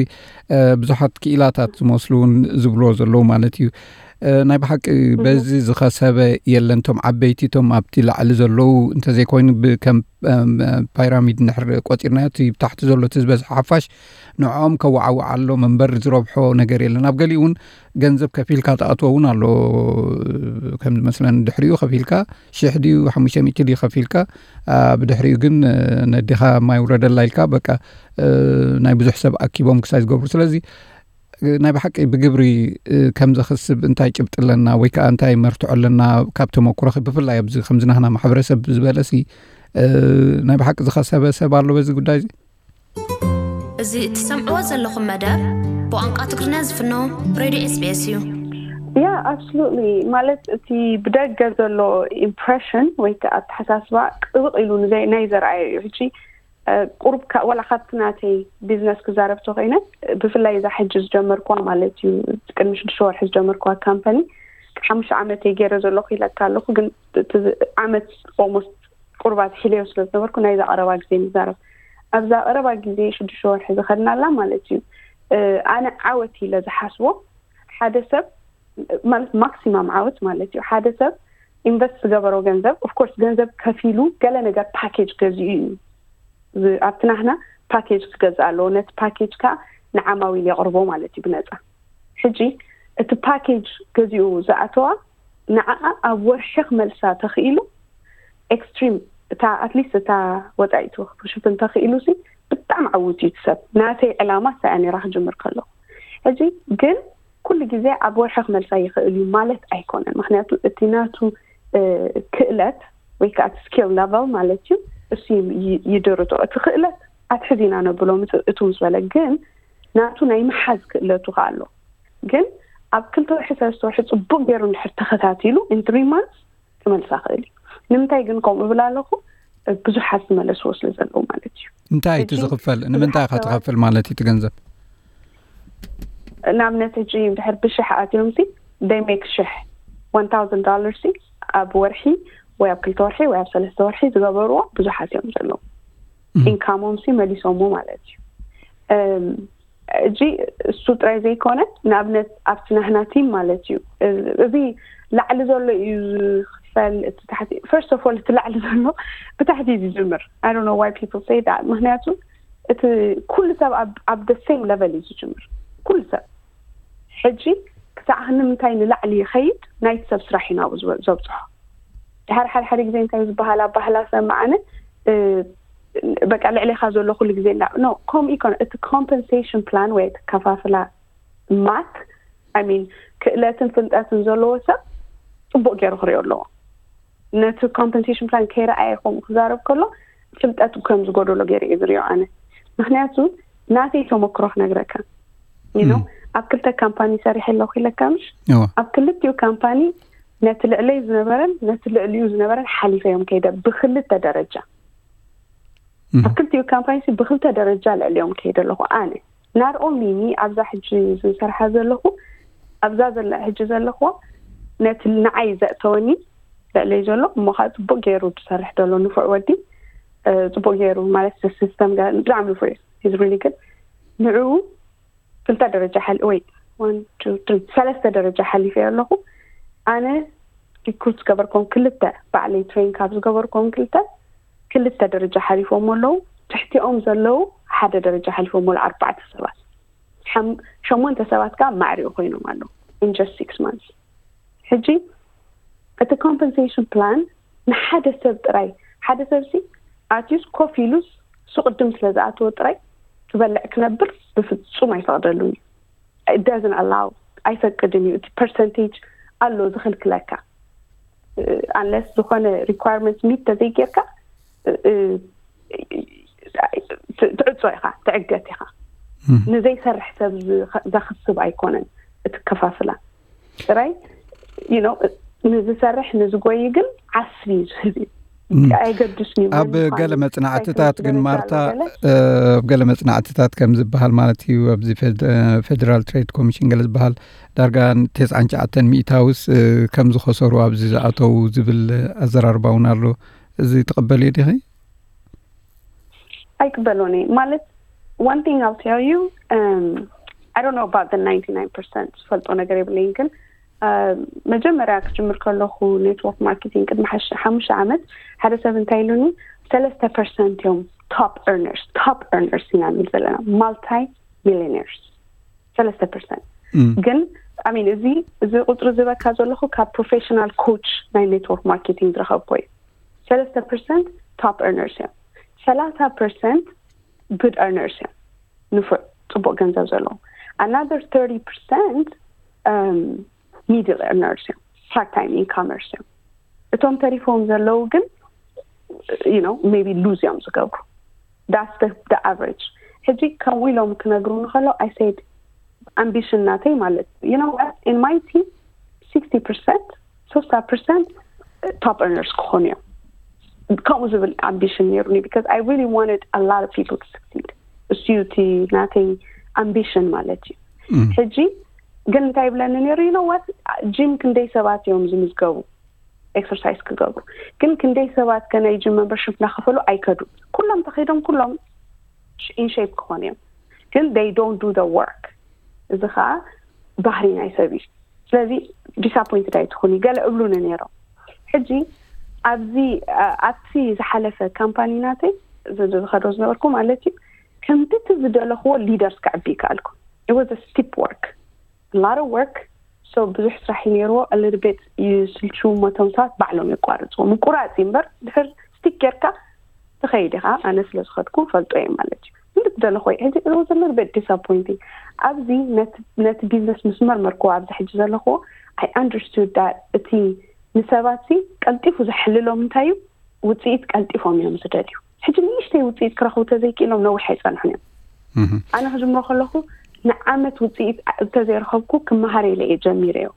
ብዙሓት ክኢላታት ዝመስሉ እውን ዝብልዎ ዘለዉ ማለት እዩ። ናይ ብሓቂ በዚ ዝኸሰበ የለን። እቶም ዓበይቲ እቶም ኣብቲ ላዕሊ ዘለዉ እንተዘይኮይኑ ከም ፓይራሚድ እንድሕር ቆፂርናዮ እቲ ብታሕቲ ዘሎ እቲ ዝበዝሐ ሓፋሽ ንዕኦም ከወዓውዓሎም እምበር ዝረብሖ ነገር የለን። ኣብ ገሊኡ እውን ገንዘብ ከፊልካ ትኣትዎ እውን ኣሎ። ከም ዝመስለን ድሕሪኡ ከፊልካ ሽሕ ድዩ ሓሙሽተ ሚእቲ ድዩ ከፊልካ ብድሕሪኡ ግን ነዲኻ ማይ ውረደላ ኢልካ በቃ ናይ ብዙሕ ሰብ ኣኪቦም ክሳይ ዝገብሩ። ስለዚ ናይ ብሓቂ ብግብሪ ከም ዘኽስብ እንታይ ጭብጢ ኣለና ወይ ከዓ እንታይ መርትዖ ኣለና? ካብ ተመኩሮኺ ብፍላይ ኣብዚ ከምዚ ናህና ማሕበረሰብ ዝበለሲ ናይ ብሓቂ ዝኸሰበ ሰብ ኣሎ በዚ ጉዳይ እዚ? እዚ እትሰምዕዎ ዘለኹም መደብ ብቋንቋ ትግርኛ ዝፍኖ ሬድዮ ኤስቢኤስ እዩ። ያ ኣብሶሉትሊ። ማለት እቲ ብደገ ዘሎ ኢምፕሬሽን ወይ ከዓ ኣተሓሳስባ ጥብቕ ኢሉ ናይ ዘርኣየ እዩ። ሕጂ ቁሩብ ዋላ ካብቲ ናተይ ቢዝነስ ክዛረብ ተኮይነ ብፍላይ እዛ ሕጂ ዝጀመርኩዋ ማለት እዩ ቅድሚ ሽዱሽተ ወርሒ ዝጀመርኩዋ ካምፓኒ ሓሙሽተ ዓመት እየ ገይረ ዘለኹ ኢለካ ኣለኹ። ግን ዓመት ኦልሞስት ቁርባት ሒለዮ ስለ ዝነበርኩ ናይዛ ቀረባ ግዜ ንዛረብ። ኣብዛ ቀረባ ግዜ ሽዱሽተ ወርሒ ዝኸድናላ ማለት እዩ። ኣነ ዓወት ኢለ ዝሓስቦ ሓደ ሰብ ማለት ማክሲማም ዓወት ማለት እዩ። ሓደ ሰብ ኢንቨስት ዝገበሮ ገንዘብ ኦፍኮርስ ገንዘብ ከፊሉ ገለ ነገር ፓኬጅ ገዚኡ እዩ። ኣብቲ ናህና ፓኬጅ ክገዝእ ኣለዎ። ነቲ ፓኬጅ ከዓ ንዓማዊል የቕርቦ ማለት እዩ ብነፃ። ሕጂ እቲ ፓኬጅ ገዚኡ ዝኣተዋ ንዓኣ ኣብ ወርሒ ክመልሳ ተኽኢሉ ኤክስትሪም እታ ኣትሊስት እታ ወፃኢቱ ክሽፍን ተኽኢሉ ሲ ብጣዕሚ ዓውት እዩ ሰብ። ናተይ ዕላማ ሳያ ነራ ክጅምር ከለኹ ሕጂ ግን ኩሉ ግዜ ኣብ ወርሒ ክመልሳ ይኽእል እዩ ማለት ኣይኮነን። ምክንያቱ እቲ ናቱ ክእለት ወይ ከዓ እቲ ስኪል ለቨል ማለት እዩ እሱ ይድርቶ። እቲ ክእለት ኣትሕዚና ነብሎ እቱ ምስ በለ ግን ናቱ ናይ መሓዝ ክእለቱ ከዓ ኣሎ። ግን ኣብ ክልተ ወርሒ ሰለስተ ወርሒ ፅቡቅ ገይሩ እንድሕር ተኸታቲሉ ኢን ትሪ ማንስ ክመልሳ ክእል እዩ። ንምንታይ ግን ከምኡ እብል ኣለኹ? ብዙሓት ዝመለስዎ ስለ ዘለዉ ማለት እዩ። እንታይ እቲ ዝኽፈል? ንምንታይ ኢኻ ትኸፍል ማለት እዩ እቲ ገንዘብ? ንኣብነት ሕጂ ድሕር ብሽሕ ኣትዮም ሲ ደይ ሜክ ሽሕ one thousand dollars ሲ ኣብ ወርሒ ወይ ኣብ ክልተ ወርሒ ወይ ኣብ ሰለስተ ወርሒ ዝገበርዎ ብዙሓት እዮም ዘለዉ። ኢንካሞም ሲ መሊሶሞ ማለት እዩ። እጂ እሱ ጥራይ ዘይኮነ ንኣብነት ኣብቲ ናህና ቲም ማለት እዩ። እዚ ላዕሊ ዘሎ እዩ ዝኽፈል እቲ ታሕቲ። ፈርስት ኦፍ ኦል እቲ ላዕሊ ዘሎ ብታሕቲ እዩ ዝጅምር። I don't know why people say that። ምክንያቱ እቲ ኩሉ ሰብ ኣብ the same level እዩ ዝጅምር። ኩሉ ሰብ ሕጂ ክሳዕ ክንምንታይ ንላዕሊ ይኸይድ ናይቲ ሰብ ስራሕ እዩ ናብኡ ዘብፅሖ። ድሓር ሓደ ሓደ ግዜ እንታይ ዝበሃል ኣባህላ ሰማዓነ በቃ ልዕሌኻ ዘሎ ኩሉ ግዜ ና ኖ ከምኡ ይኮነ። እቲ ኮምፐንሴሽን ፕላን ወይ እቲ ከፋፍላ ማት ሚን ክእለትን ፍልጠትን ዘለዎ ሰብ ፅቡቅ ገይሩ ክሪኦ ኣለዎ። ነቲ ኮምፐንሴሽን ፕላን ከይረኣየ ከምኡ ክዛረብ ከሎ ፍልጠት ከም ዝጎደሎ ገይረ እየ ዝሪኦ ኣነ። ምክንያቱ ናተይ ተመክሮ ክነግረካ ኖ ኣብ ክልተ ካምፓኒ ሰሪሐ ኣለኩ ኢለካ ምሽ ኣብ ክልቲኡ ካምፓኒ ነቲ ልዕለይ ዝነበረን ነቲ ልዕሊኡ ዝነበረን ሓሊፈ እዮም ከይደ ብክልተ ደረጃ ኣብ ክልቲኡ ካምፓኒ ብክልተ ደረጃ ልዕሊኦም ከይደ ኣለኹ ኣነ ናር ኦንሊ ሚ ኣብዛ ሕጂ ዝሰርሓ ዘለኹ ኣብዛ ዘለ ሕጂ ዘለኹዋ ነቲ ንዓይ ዘእተወኒ ልዕለይ ዘሎ እሞ ከዓ ፅቡቅ ገይሩ ዝሰርሕ ዘሎ ንፉዕ ወዲ ፅቡቅ ገይሩ ማለት ሲስተም ብጣዕሚ ንፉዕ እዩ ሪሊ ግን ንዕኡ ክልተ ደረጃ ሓል ወይ ሰለስተ ደረጃ ሓሊፈ ኣለኹ ኣነ ሪክሩት ዝገበርኩም ክልተ ባዕለይ ትሬን ካብ ዝገበርኩም ክልተ ክልተ ደረጃ ሓሊፎም ኣለዉ ትሕቲኦም ዘለዉ ሓደ ደረጃ ሓሊፎም ኣለዉ ኣርባዕተ ሰባት ሸሞንተ ሰባት ከዓ ማዕሪኡ ኮይኖም ኣለዉ in just six months ሕጂ እቲ ኮምፐንሴሽን ፕላን ንሓደ ሰብ ጥራይ ሓደ ሰብ ሲ ኣትዩስ ኮፍ ኢሉስ ሱቅድም ስለ ዝኣተወ ጥራይ ክበልዕ ክነብር ብፍጹም ኣይፈቅደሉን እዩ doesn't allow ኣይፈቅድን እዩ እቲ ፐርሰንቴጅ ኣሎ ዝኽልክለካ unless ዝኾነ requirement meet ተዘይጌርካ ትዕጾ ኢኻ ትዕገት ኢኻ ንዘይሰርሕ ሰብ ዘኽስብ ኣይኮነን እቲ ከፋፍላ ጥራይ ንዝሰርሕ ንዝጎይ ግን ዓስቢ እዩ ዝህብ እዩ ኣይገድስን እዩ ኣብ ገለ መጽናዕትታት ግን ማርታ ኣብ ገለ መጽናዕትታት ከም ዝበሃል ማለት እዩ ኣብዚ ፌደራል ትሬድ ኮሚሽን ገለ ዝበሃል ዳርጋ ተስዓን ትሽዓተን ሚእታውስ ከም ዝኸሰሩ ኣብዚ ዝኣተው ዝብል ኣዘራርባ እውን ኣሎ እዚ ትቕበልዮ ዲኺ ኣይቅበሎን እየ ማለት one thing I'll tell you um, I don't know about the ninety-nine percent ዝፈልጦ ነገር የብለይን ግን መጀመርያ ክጅምር ከለኹ ኔትወርክ ማርኬቲንግ ቅድሚ ሓሙሽተ ዓመት ሓደ ሰብ እንታይ ኢሉኒ ሰለስተ ፐርሰንት እዮም top earners top earners ኢና ንብል ዘለና multi millionaires ሰለስተ ፐርሰንት ግን ሚን እዚ እዚ ቁፅሪ ዝበካ ዘለኹ ካብ ፕሮፌሽናል ኮች ናይ ኔትወርክ ማርኬቲንግ ዝረኸብኮ እዩ ሰለስተ ፐርሰንት top earners እዮም ሰላሳ ፐርሰንት good earners እዮም ንፉዕ ፅቡቅ ገንዘብ ዘለዎም another thirty percent middle earners እዮም part time incomers እዮም እቶም ተሪፎም ዘለዉ ግን maybe lose እዮም ዝገብሩ that's the average ሕጂ ከምኡ ኢሎም ክነግሩ ንከሎ I said ambition ናተይ ማለት you know what in my team sixty percent sixty percent top earners ክኾኑ እዮም ከምኡ ዝብል ambition ነይሩኒ because I really wanted a lot of people to succeed እሱ እዩ እቲ ናተይ ambition ማለት እዩ ሕጂ ግን እንታይ ይብለኒ ነይሩ you know what ጂም ክንደይ ሰባት እዮም ዝምዝገቡ exercise ክገብሩ ግን ክንደይ ሰባት ከ ናይ ጂም membership እናኸፈሉ ኣይከዱ ኩሎም ተኸይዶም ኩሎም in shape ክኾኑ እዮም፣ ግን they don't do the work። እዚ ከዓ ባህሪ ናይ ሰብ እዩ። ስለዚ disappointed ኣይትኹኒ። ገለ እብሉኒ ነይሮም። ሕጂ ኣብዚ ኣብቲ ዝሓለፈ ካምፓኒ ናተይ ዝኸዶ ዝነበርኩ ማለት እዩ፣ ከምቲ ዝደለኽዎ leaders ክዕቢ ይከኣልኩ። It was a steep work, a lot of work. So ብዙሕ ስራሕ እዩ ነይርዎ። A little bit ይስልችው፣ መቶም ሰባት ባዕሎም የቋርፅዎ። ምቁራፅ እዩ እምበር ድሕር stick ጌርካ ትኸይድ ኢኻ። ኣነ ስለ ዝኸድኩ ፈልጦ እየ ማለት እዩ። እንድትደለኹ ሕጂ it was a little bit disappointing። ኣብዚ ነቲ ቢዝነስ ምስ መርመርክዎ ኣብዚ ሕጂ ዘለኽዎ I understood that እቲ ንሰባት ሲ ቀልጢፉ ዘሕልሎም እንታይ እዩ? ውፅኢት ቀልጢፎም እዮም ዝደልዩ። ሕጂ ንእሽተይ ውፅኢት ክረኽቡ ተዘይክኢሎም ነዊሕ ኣይፀንሑን እዮም። ኣነ ክጅምሮ ከለኹ ንዓመት ውፅኢት እንተዘይረኸብኩ ክመሃር ኢለ እየ ጀሚረዮ።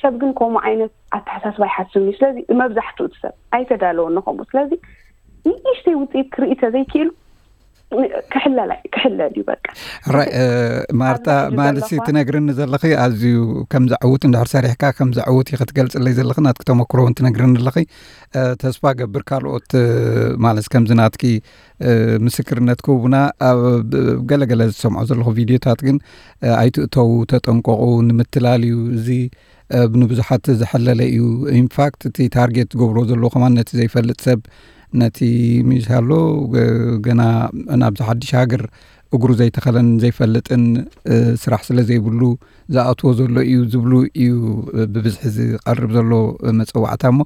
ሰብ ግን ከምኡ ዓይነት ኣተሓሳስባ ይሓስብ እዩ። ስለዚ መብዛሕትኡ እቲ ሰብ ኣይተዳለወን ንኸምኡ። ስለዚ ንእሽተይ ውፅኢት ክርኢ ተዘይክኢሉ ክሕለል ኣይ- ክሕለል እዩ በቃ። ራይ እ፣ ማርታ ኣብዚ ሕጂ ማለት ዘለኹዋ ትነግርኒ ዘለኺ ኣዝዩ ከም ዘዕውት እንድሕር ሰሪሕካ ከም ዘዕውት እዩ ክትገልፅለይ ዘለኺ ናትኪ ተመክሮ እውን ትነግርኒ ኣለኺ። እ፣ ተስፋ ገብር ካልኦት እ፣ ማለት ከምዚ ናትኪ እ፣ ምስክርነት ክህቡና ኣብ ብ- ገለገለ ዝሰምዖ ዘለኹ ቪድዮታት ግን እ፣ ኣይትእተዉ፣ ተጠንቀቑ፣ ንምትላል እዩ። እዚ እ፣ ንብዙሓት ዝሐለለ እዩ። ኢንፋክት እቲ ታርጌት ዝገብሮ ዘሎ ከማን ነቲ ዘይፈልጥ ሰብ፣ ነቲ ሚሳሎ እ፣ ገና ናብዚ ሓድሽ ሃገር እግሩ ዘይተኸለን ዘይፈልጥን እ፣ ስራሕ ስለ ዘይብሉ ዝኣትዎ ዘሎ እዩ ዝብሉ እዩ እ፣ ብብዝሒ ዝቐርብ ዘሎ እ፣ መፀዋዕታ እሞ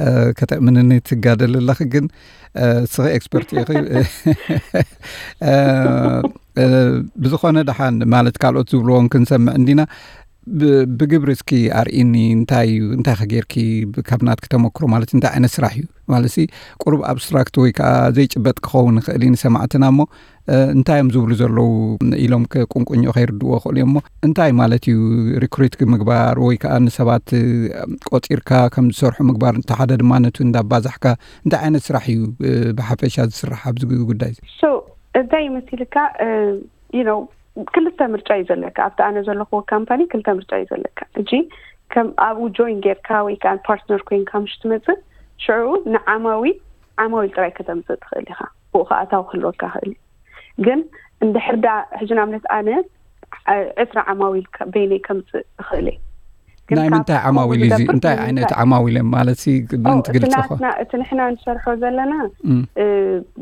እ፣ ከተእምንኒ ትጋደል ኣለኺ። ግን እ፣ እስኺ ኤክስፐርት ኢኺ። እ፣ እ፣ ብዝኾነ ደሓን ማለት ካልኦት ዝብልዎም ክንሰምዕ እንዲና። ብ- ብግብሪ እስኪ ኣርእኒ። እንታይ እዩ እንታይ ከጌርኪ? ካብ ናትኪ ተመክሮ ማለት እንታይ ዓይነት ስራሕ እዩ ማለት ሲ ቁሩብ ኣብስትራክት ወይ ከዓ ዘይጭበጥ ክኸውን ይኽእል እዩ ንሰማዕትና እሞ እ፣ እንታይ እዮም ዝብሉ ዘለዉ ኢሎም ቁንቁኝ ከይርድዎ ክእሉ እዮም እሞ እንታይ ማለት እዩ ሪክሪት ምግባር ወይ ከዓ ንሰባት እ፣ ቆፂርካ ከም ዝሰርሑ ምግባር እንተሓደ ድማ ነቱ እንዳባዛሕካ እንታይ ዓይነት ስራሕ እዩ እ፣ ብሓፈሻ ዝስራሕ ኣብዚ ጉዳይ እዚ? So እንታይ ይመስልካ? You know ክልተ ምርጫ እዩ ዘለካ። ኣብቲ ኣነ ዘለኹዎ ካምፓኒ ክልተ ምርጫ እዩ ዘለካ። እጂ ከም ኣብኡ ጆይን ጌርካ ወይ ከዓ ፓርትነር ኮይንካ ምሽ ትመፅእ ሽዑ ንዓማዊ ዓማዊል ጥራይ ከተምፅእ ትኽእል ኢኻ። ብኡ ከዓ ኣታዊ ክህልወካ ክእል እዩ። ግን እንድሕር ዳ ሕጂ ንኣብነት ኣነ ዕስራ ዓማዊል በይነይ ከምፅእ እኽእል እየ። ናይ ምንታይ ዓማዊል እዩ? እንታይ ዓይነት ዓማዊል እዮም ማለት ምን ትገልፅኹ? እቲ ንሕና ንሰርሖ ዘለና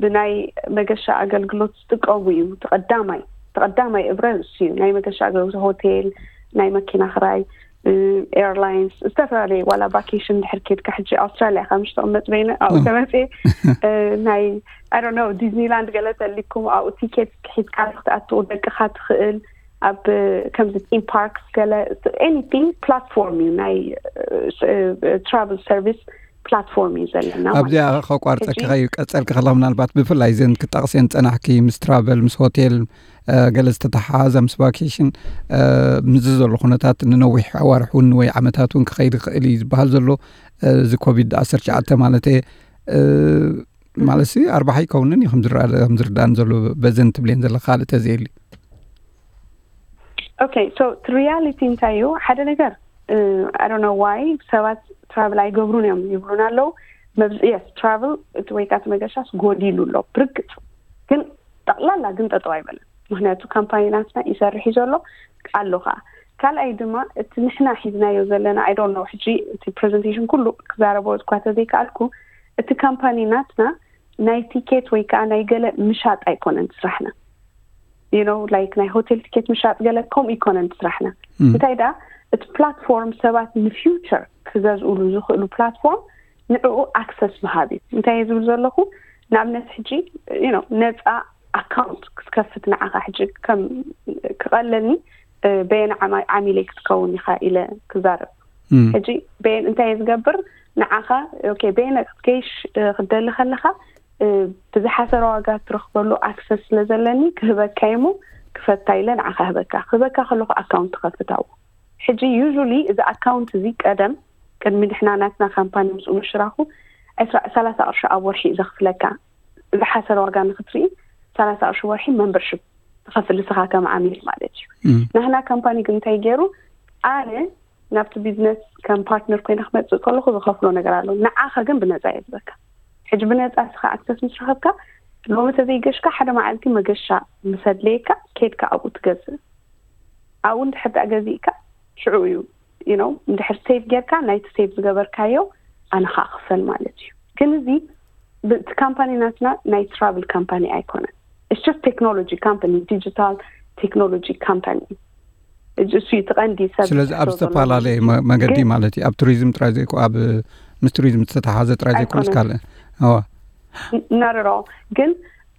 ብናይ መገሻ ኣገልግሎት ዝጥቀሙ እዩ። ተቐዳማይ ተቐዳማይ እብረ እሱ እዩ። ናይ መገሻ ኣገልግሎት ሆቴል፣ ናይ መኪና ክራይ፣ ኤርላይንስ፣ ዝተፈላለዩ ዋላ ቫኬሽን ድሕር ኬድካ ሕጂ ኣውስትራሊያ ካብ ምሽ ተቐመጥ በይነ ኣብኡ ተመፅየ ናይ I don't know ዲዝኒላንድ ገለ ተሊኩም ኣብኡ ቲኬት ሒዝካ ክትኣትው ደቅኻ ትኽእል ኣብ ከምዚ ቲም ፓርክስ ገለ anything platform እዩ ናይ travel service platform እዩ ዘለና። ኣብዚኣ ከቋርፀኪ ከዩ ቀፀልኪ ከላ ምናልባት ብፍላይ ዘን ክጠቕስየን ፀናሕኪ ምስ ትራቨል ምስ ሆቴል ገለ ዝተተሓሓዘ ምስ ቫኬሽን ምስዚ ዘሎ ኩነታት ንነዊሕ ኣዋርሕ እውን ወይ ዓመታት እውን ክኸይድ ይኽእል እዩ ዝበሃል ዘሎ እዚ ኮቪድ ዓሰርተ ትሽዓተ ማለት እየ ማለት ሲ ኣርባሓ ይከውንን እዩ ከምዝርዳእን ዘሎ በዘን ትብሌን ዘለ ካልእ ተዘየሊ። Okay so ሪያሊቲ እንታይ እዩ? ሓደ ነገር I don't know why ሰባት ትራቭል ኣይገብሩን እዮም ይብሉን ኣለዉ። መብዝ yes ትራቭል ወይ ከዓ መገሻስ ጎዲሉ ኣሎ ብርግፅ፣ ግን ጠቕላላ ግን ጠጠው ኣይበለን። ምክንያቱ ካምፓኒ ናትና ይሰርሕ እዩ ዘሎ ኣሎ ከዓ። ካልኣይ ድማ እቲ ንሕና ሒዝናዮ ዘለና I don't know ሕጂ እቲ ፕሬዘንቴሽን ኩሉ ክዛረቦ እኳ ተዘይከኣልኩ እቲ ካምፓኒ ናትና ናይ ቲኬት ወይ ከዓ ናይ ገለ ምሻጥ ኣይኮነን ስራሕና። You know like ናይ ሆቴል ቲኬት ምሻጥ ገለ ከምኡ ይኮነን ስራሕና። እንታይ ደኣ እቲ ፕላትፎርም ሰባት ንፊውቸር ክገዝኡሉ ዝኽእሉ ፕላትፎርም ንዕኡ ኣክሰስ ምሃብ እዩ። እንታይ እየ ዝብል ዘለኹ ንኣብነት ሕጂ you know ነፃ ኣካውንት ክትከፍት ንዓኻ ሕጂ ከም ክቐለኒ በየን ዓሚለይ ክትከውን ኢኻ ኢለ ክዛረብ። ሕጂ በየን እንታይ እየ ዝገብር ንዓኻ okay በየን ክትገይሽ ክትደሊ ከለኻ ብዝሓሰረ ዋጋ ትረኽበሉ ኣክሰስ ስለ ዘለኒ ክህበካ እሞ ክፈታ ኢለ ንዓኻ ህበካ ክህበካ ከለኹ ኣካውንት ትኸፍት ኣብኡ። ሕጂ ዩሊ እዚ ኣካውንት እዚ ቀደም ቅድሚ ንሕና ናትና ካምፓኒ ምስኡ ምሽራኹ ሰላሳ ቅርሺ ኣብ ወርሒ እዩ ዘኽፍለካ። ዝሓሰረ ዋጋ ንክትርኢ ሰላሳ ቅርሺ ወርሒ መንበርሽፕ ትኸፍል ንስኻ ከም ዓሚል ማለት እዩ። ናህና ካምፓኒ ግን እንታይ ገይሩ ኣነ ናብቲ ቢዝነስ ከም ፓርትነር ኮይነ ክመፅእ ከለኹ ዝኸፍሎ ነገር ኣሎ። ንዓኻ ግን ብነፃ እየ ዝበካ። ሕጂ ብነፃ ስኻ ኣክሰስ ምስ ረኸብካ ሎሚ ተዘይገሽካ ሓደ መዓልቲ መገሻ ምስ ኣድለየካ ከድካ ኣብኡ ትገዝእ። ኣብኡ እንድሕር ደኣ ገዚእካ ሽዑ እዩ you know እንድሕር ሴቭ ጌርካ ናይቲ ሴቭ ዝገበርካዮ ኣነ ከዓ ክፈል ማለት እዩ። ግን እዚ እቲ ካምፓኒ ናትና ናይ ትራቭል ካምፓኒ ኣይኮነን። It's just technology company, digital technology company. እሱ እዩ እቲ ቀንዲ ሰብ ስለዚ ኣብ ዝሕቶ ዘሎ ዝተፈላለዩ ማለት እዩ። መ- መገዲ ግን ማለት እዩ። ኣብ ቱሪዝም ጥራይ ዘይኮ ኣብ ምስ ቱሪዝም ዝተተሓዘ ጥራይ ዘይኮነስ ኣይኮነን። ካልእ እዋ ናርሮ ግን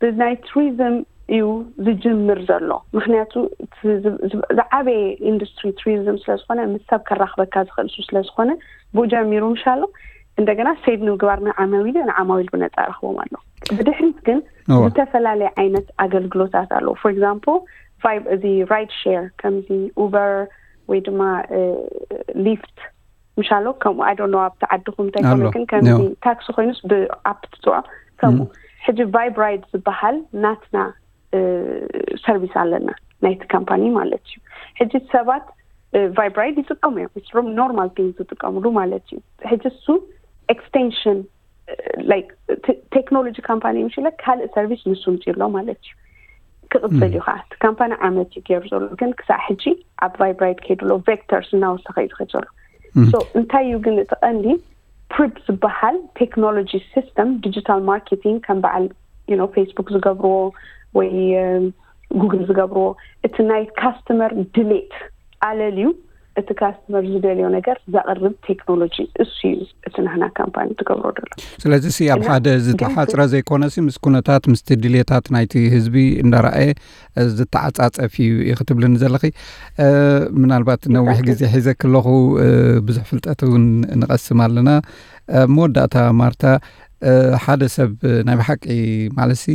ብናይ ቱሪዝም እዩ ዝጅምር ዘሎ። ምክንያቱ እቲ ዝ- ዝ- ዝዓበየ ኢንዱስትሪ ቱሪዝም ስለዝኮነ ምስ ሰብ ከራክበካ ዝኽእል እሱ ስለዝኮነ ብኡ ጀሚሩ ምሻሎ። እንደገና ሴቭ ንምግባር ንዓማዊል ንዓማዊል ብነፃ ረክቦም ኣሎ። ብድሕሪት ግን እዋ ዝተፈላለየ ዓይነት ኣገልግሎታት ኣለዉ። For example ቫይብ እዚ ራይድ ሼር ከምዚ ኡበር ወይ ድማ ሊፍት ምሻሎ ከምኡ I don't know ኣብቲ ዓድኹም እንታይ ኣሎ። ኮነ ግን ከምዚ ያው። ታክሲ ኮይኑስ ብኣፕ ትፅዖ ከምኡ ሕጂ ቫይብ ራይድ ዝበሃል ናትና ሰርቪስ ኣለና ናይቲ ካምፓኒ ማለት እዩ። ሕጂ ሰባት ቫይብ ራይድ ይጥቀሙ እዮም። It's ኖርማል ቲንግ ዝጥቀምሉ ማለት እዩ። ሕጂ እሱ ኤክስቴንሽን ቴክኖሎጂ ካምፓኒ ምሽለ ካልእ ሰርቪስ ንሱ ምፅሎ ማለት እዩ። ክቕፅል እዩ ከዓ እቲ ካምፓኒ ዓመት እዩ ገይሩ ዘሎ ግን ክሳዕ ሕጂ ኣብ ቫይብ ራይድ ከይድሎ ቬክተርስ እናወሰኸ እዩ ዝኸይድ ዘሎ። So እንታይ እዩ ግን እቲ ቀንዲ ፕሪፕ ዝበሃል ቴክኖሎጂ ሲስተም ዲጂታል ማርኬቲንግ ከም በዓል you know ፌስቡክ ዝገብርዎ ወይ ጉግል ዝገብርዎ እቲ ናይ ካስተመር ድሌት ኣለልዩ እቲ ካስተመር ዝደልዮ ነገር ዘቕርብ ቴክኖሎጂ እሱ እዩ። እቲ ናህና ካምፓኒ ትገብሮ ደሎ ስለዚ ሲ ኣብ እና ሓደ ግን ዝተሓፅረ ዘይኮነሲ ምስ ኩነታት ምስቲ ድሌታት ናይቲ ህዝቢ እንዳረኣየ ዝተዓፃፀፍ እዩ ኢኺ ትብልኒ ዘለኺ። ምናልባት ነዊሕ ግዜ ሒዘ ከለኹ ብዙሕ ፍልጠት እውን ንቐስም ኣለና። መወዳእታ ማርታ ሓደ ሰብ ናይ ብሓቂ ማለትሲ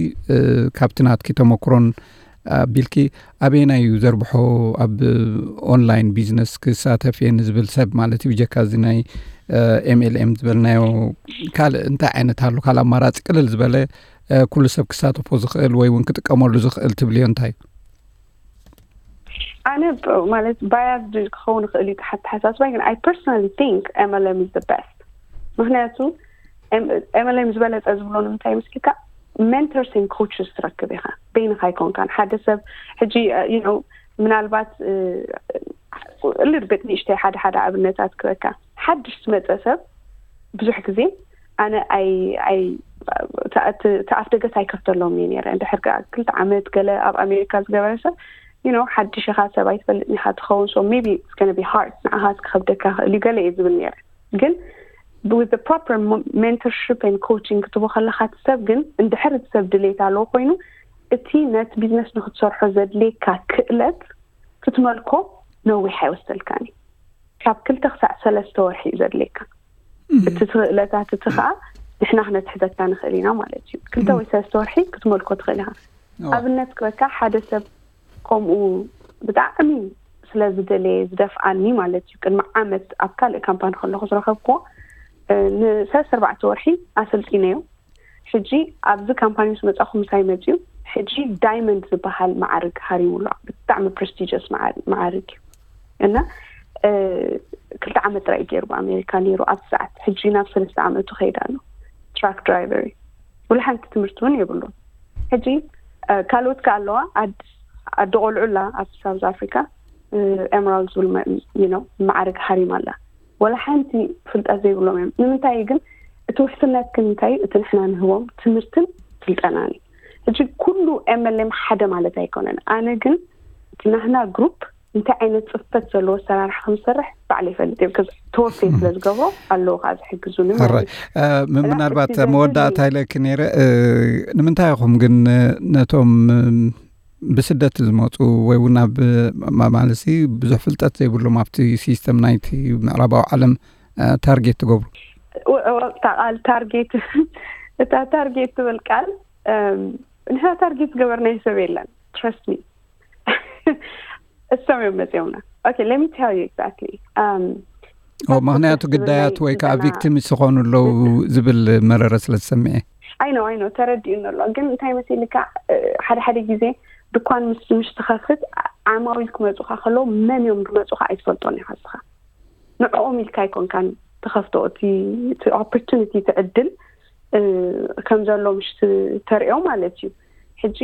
ካብቲ ናትኪ ተመክሮን ኣቢልኪ ኣበየናይ እዩ ዘርብሖ ኣብ ኦንላይን ቢዝነስ ክሳተፍ እየ ንዝብል ሰብ ማለት እዩ ብጀካ እዚ ናይ ኤምኤልኤም ዝበልናዮ ካልእ እንታይ ዓይነት ኣሎ ካልእ ኣማራፂ ቅልል ዝበለ ኩሉ ሰብ ክሳተፎ ዝኽእል ወይ እውን ክጥቀመሉ ዝኽእል ትብልዮ እንታይ እዩ? ኣነ ማለት ባያስድ ክኸውን ይኽእል እዩ ተሓተሓሳስባይ ግን I personally think MLM is the best። ምክንያቱ MLM ዝበለፀ ዝብሎ ንምንታይ ምስልካ mentors and coaches ትረክብ ኢኻ በይንኻ ኣይኮንካን ሓደ ሰብ ሕጂ you know ምናልባት ልርብጥ ንእሽተይ ሓደ ሓደ ኣብነታት ክበካ ሓድሽ ዝመፀ ሰብ ብዙሕ ግዜ ኣነ ኣይ ኣይ ተኣፍ ደገስ ኣይከፍተሎም እየ ነረ እንድሕር ክልተ ዓመት ገለ ኣብ ኣሜሪካ ዝገበረ ሰብ you know ሓድሽ ኢኻ ሰብ ኣይትፈልጥ ኢኻ ትኸውን so maybe it's gonna be hard ንዓኻ ክኸብደካ ክእል እዩ ገለ እየ ዝብል ነረ ግን with the proper mentorship and coaching ክትቦ ከለካ እቲ ሰብ ግን እንድሕር እቲ ሰብ ድሌት ኣለዎ ኮይኑ እቲ ነቲ ቢዝነስ ንክትሰርሖ ዘድልየካ ክእለት ክትመልኮ ነዊሕ ኣይወሰልካን እዩ ካብ ክልተ ክሳዕ ሰለስተ ወርሒ እዩ ዘድልየካ እቲ ክእለታት እቲ ከዓ ንሕና ክነትሕዘካ ንክእል ኢና ማለት እዩ ክልተ ወይ ሰለስተ ወርሒ ክትመልኮ ትክእል ኢካ ኣብነት ክበካ ሓደ ሰብ ከምኡ ብጣዕሚ ስለዝደለየ ዝደፍኣኒ ማለት እዩ ቅድሚ ዓመት ኣብ ካልእ ካምፓኒ ከለኩ ዝረከብክዎ ንሰለስተ ኣርባዕተ ወርሒ ኣሰልጢነዮ ሕጂ ኣብዚ ካምፓኒ ምስ መፃኹ ምሳይ መፅዩ ሕጂ ዳይመንድ ዝበሃል መዓርግ ሃሪሙሉ ብጣዕሚ ፕረስቲጀስ መዓርግ እዩ እና ክልተ ዓመት ጥራይ ገይሩ ብኣሜሪካ ነይሩ ኣብዚ ሰዓት ሕጂ ናብ ሰለስተ ዓመቱ ከይዳ ኣሎ ትራክ ድራይቨር እዩ ወላ ሓንቲ ትምህርቲ እውን የብሉን ሕጂ ካልኦት ከ ኣለዋ ኣዲ ቆልዑ ኣላ ኣብ ሳውዝ ኣፍሪካ ኤመራልድ ዝብል መዓርግ ሃሪማ ኣላ ወላ ሓንቲ ፍልጠት ዘይብሎም እዮም ንምንታይ ግን እቲ ውሕስነት ግን እንታይ እቲ ንሕና ንህቦም ትምህርትን ስልጠናን እዩ ሕጂ ኩሉ ኤምኤልኤም ሓደ ማለት ኣይኮነን ኣነ ግን እቲ ናህና ግሩፕ እንታይ ዓይነት ፅፈት ዘለዎ ኣሰራርሓ ከምሰርሕ ባዕለ ይፈልጥ እየ ተወፌ ስለ ዝገብሮ ኣለዎ ከዓ ዝሕግዙኒ ሕራይ ምናልባት መወዳእታ ኢለኪ ነይረ ንምንታይ ኢኹም ግን ነቶም ብስደት ዝመፁ ወይ እውን ኣብ ማለሲ ብዙሕ ፍልጠት ዘይብሎም ኣብቲ ሲስተም ናይቲ ምዕራባዊ ዓለም ታርጌት ትገብሩ ቃል ታርጌት እታ ታርጌት ትብል ቃል ንሕና ታርጌት ዝገበርናዮ ሰብ የለን trust me እሶም እዮም መፅኦምና okay let me tell you exactly ምክንያቱ ግዳያት ወይ ከዓ ቪክቲምስ ዝኾኑ ኣለዉ ዝብል መረረ ስለ ዝሰምዐ I know I know ተረዲኡኒ ኣሎ ግን እንታይ መሲልካ ሓደ ሓደ ግዜ ድኳን ምስ ምሽ ትኸፍት ዓማዊል ክመፁካ ከለዉ መን እዮም ዝመፁካ ኣይትፈልጦን ኢኻ ንስኻ ንዕኦም ኢልካ ኣይኮንካን ትኸፍቶ እቲ opportunity እቲ ዕድል ከም ዘሎ ምሽ ተሪኦ ማለት እዩ። ሕጂ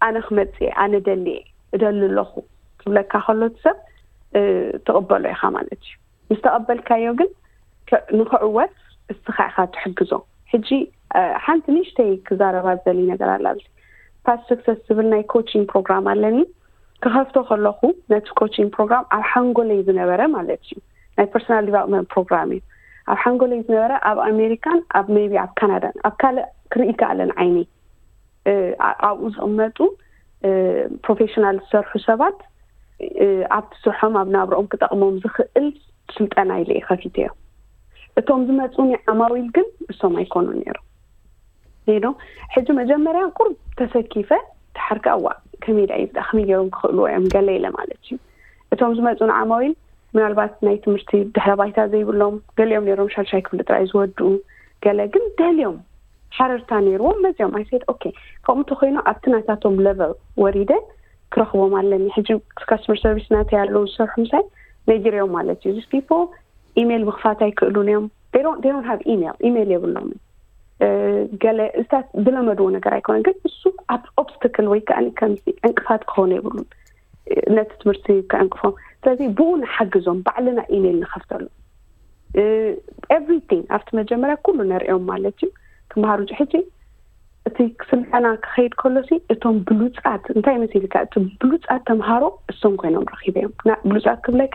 ኣነ ክመፅእ ኣነ ደልየ እደሊ ኣለኹ ክብለካ ከሎ ሰብ ትቕበሎ ኢኻ ማለት እዩ። ምስ ተቐበልካዮ ግን ንክዕወት እስኻ ኢኻ ትሕግዞ። ሕጂ ሓንቲ ንእሽተይ ክዛረባ ዘሊ ነገር ኣላ። ኣብዚ ፓስት ሰክሰስ ዝብል ናይ ኮቺንግ ፕሮግራም ኣለኒ። ክኸፍቶ ከለኹ ነቲ ኮቺንግ ፕሮግራም ኣብ ሓንጎለይ ዝነበረ ማለት እዩ፣ ናይ ፐርሶናል ዲቨሎፕመንት ፕሮግራም እዩ። ኣብ ሓንጎለይ ዝነበረ ኣብ ኣሜሪካን ኣብ ሜቢ ኣብ ካናዳን ኣብ ካልእ ክርኢ ከኣለን ዓይኒ ኣብኡ ዝቕመጡ ፕሮፌሽናል ዝሰርሑ ሰባት ኣብቲ ስርሖም ኣብ ናብረኦም ክጠቕሞም ዝኽእል ስልጠና ኢለ እየ ከፊተዮ። እቶም ዝመፁኒ ዓማዊል ግን እሶም ኣይኮኑን ነይሮም። ዶ ሕጂ መጀመርያ ቁርብ ተሰኪፈ ተሓርካ እዋ ከመይ ዳ ይብዳ ከመይ ገይሮም ክኽእልዎ እዮም ገለ ኢለ ማለት እዩ። እቶም ዝመፁኒ ዓማዊል ምናልባት ናይ ትምህርቲ ድሕረ ባይታ ዘይብሎም ገሊኦም ነይሮም ሻልሻይ ክፍሊ ጥራይ ዝወድኡ፣ ገለ ግን ደልዮም ሓረርታ ነይርዎም መፅዮም። ኣይ ሴድ ኦኬ፣ ከምኡ እንተኮይኑ ኣብቲ ናታቶም ለቨል ወሪደ ክረኽቦም ኣለኒ። ሕጂ ካስተመር ሰርቪስ ናተይ ኣለዉ ዝሰርሑ ምሳይ ነጊርዮም ማለት እዩ። ዚስ ፒፕል ኢሜይል ምኽፋት ኣይክእሉን እዮም። ዶን ሃቭ ኢሜይል ኢሜይል የብሎምን። ገለ እዚታት ዝለመድዎ ነገር ኣይኮነን፣ ግን እሱ ኣብ ኦብስተክል ወይ ከዓ ከምዚ ዕንቅፋት ክኾኑ የብሉን ነቲ ትምህርቲ ከዕንቅፎም። ስለዚ ብኡ ንሓግዞም፣ ባዕልና ኢሜይል ንኸፍተሉ። ኤቭሪቲንግ ኣብቲ መጀመርያ ኩሉ ነርእዮም ማለት እዩ። ክመሃሩ ሕጂ እቲ ስልጠና ክኸይድ ከሎሲ እቶም ብሉፃት እንታይ መሲልካ፣ እቲ ብሉፃት ተምሃሮ እሶም ኮይኖም ረኺበዮም። ብሉፃት ክብለካ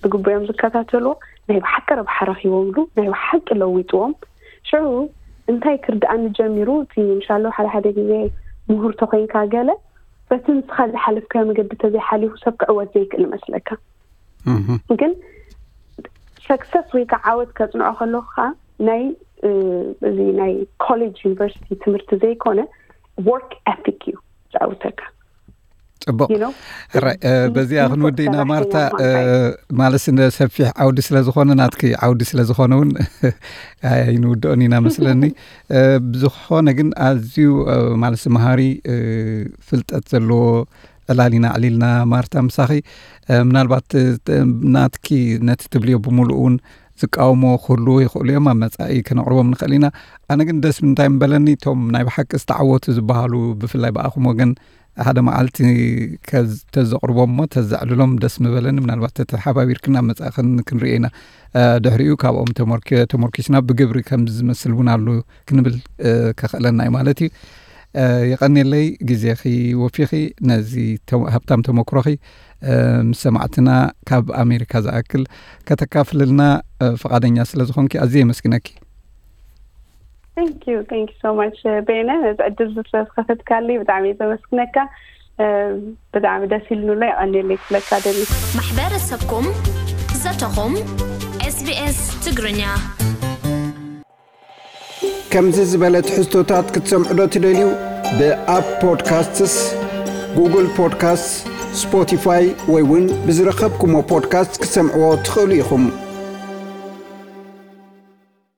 ብግቡዮም ዝከታተልዎ ናይ ብሓቂ ረብሓ ረኺቦምሉ ናይ ብሓቂ ለዊጥዎም። ሽዑ እንታይ ክርድኣኒ ጀሚሩ፣ እቲ እንሻሎ ሓደ ሓደ ግዜ ምሁር ተኮይንካ ገለ በቲ ንስኻ ዝሓለፍካዮ መገዲ ተዘይሓሊፉ ሰብ ክዕወት ዘይክእል ይመስለካ። ግን ሰክሰስ ወይ ከዓ ዓወት ከፅንዖ ከለኹ ከዓ ናይ እዚ ናይ ኮሌጅ ዩኒቨርሲቲ ትምህርቲ ዘይኮነ ወርክ ኤቲክ እዩ ዝዓውተካ። ፅቡቅ። ሕራይ በዚኣ ክንወዲ ኢና ማርታ። ማለት ሰፊሕ ዓውዲ ስለዝኮነ ናትኪ ዓውዲ ስለዝኮነ እውን ኣይንውድኦን ኢና መስለኒ። ብዝኮነ ግን ኣዝዩ ማለት መሃሪ ፍልጠት ዘለዎ ዕላል ኢና ኣዕሊልና ማርታ ምሳኺ። ምናልባት ናትኪ ነቲ ትብልዮ ብምሉእ እውን ዝቃወሞ ክህልዉ ይኽእሉ እዮም፣ ኣብ መጻኢ ክነቕርቦም ንኽእል ኢና። ኣነ ግን ደስ እንታይ ምበለኒ፣ እቶም ናይ ብሓቂ ዝተዓወቱ ዝበሃሉ ብፍላይ ብኣኹም ወገን ሓደ መዓልቲ ተዘቕርቦም እሞ ተዘዕልሎም ደስ ምበለኒ። ምናልባት ተተሓባቢርክን ኣብ መጻኢ ክንርኢ ኢና። ድሕሪኡ ካብኦም ተመርኪስና ብግብሪ ከም ዝመስል እውን ኣሉ ክንብል ከኽእለና እዩ ማለት እዩ። የቐኔለይ ግዜኺ ወፊኺ ነዚ ሃብታም ተመክሮኺ ምስ ሰማዕትና ካብ ኣሜሪካ ዝኣክል ከተካፍልልና ፍቓደኛ ስለ ዝኾንኪ ኣዝየ የመስግነኪ። Thank you, thank you so much ቤነ፣ ነዚ ዕድል ስለዝከፈትካለይ ብጣዕሚ እየ ዘመስግነካ። ብጣዕሚ ደስ ኢሉኒ ኣሎ። የቐኔለይ ክብለካ ደሊ። ማሕበረሰብኩም ዘተኹም ኤስቢኤስ ትግርኛ። ከምዚ ዝበለ ትሕዝቶታት ክትሰምዑ ዶ ትደልዩ? ብኣፕ ፖድካስትስ፣ ጉግል ፖድካስትስ፣ ስፖቲፋይ ወይ እውን ብዝረኸብኩሞ ፖድካስት ክትሰምዕዎ ትኽእሉ ኢኹም።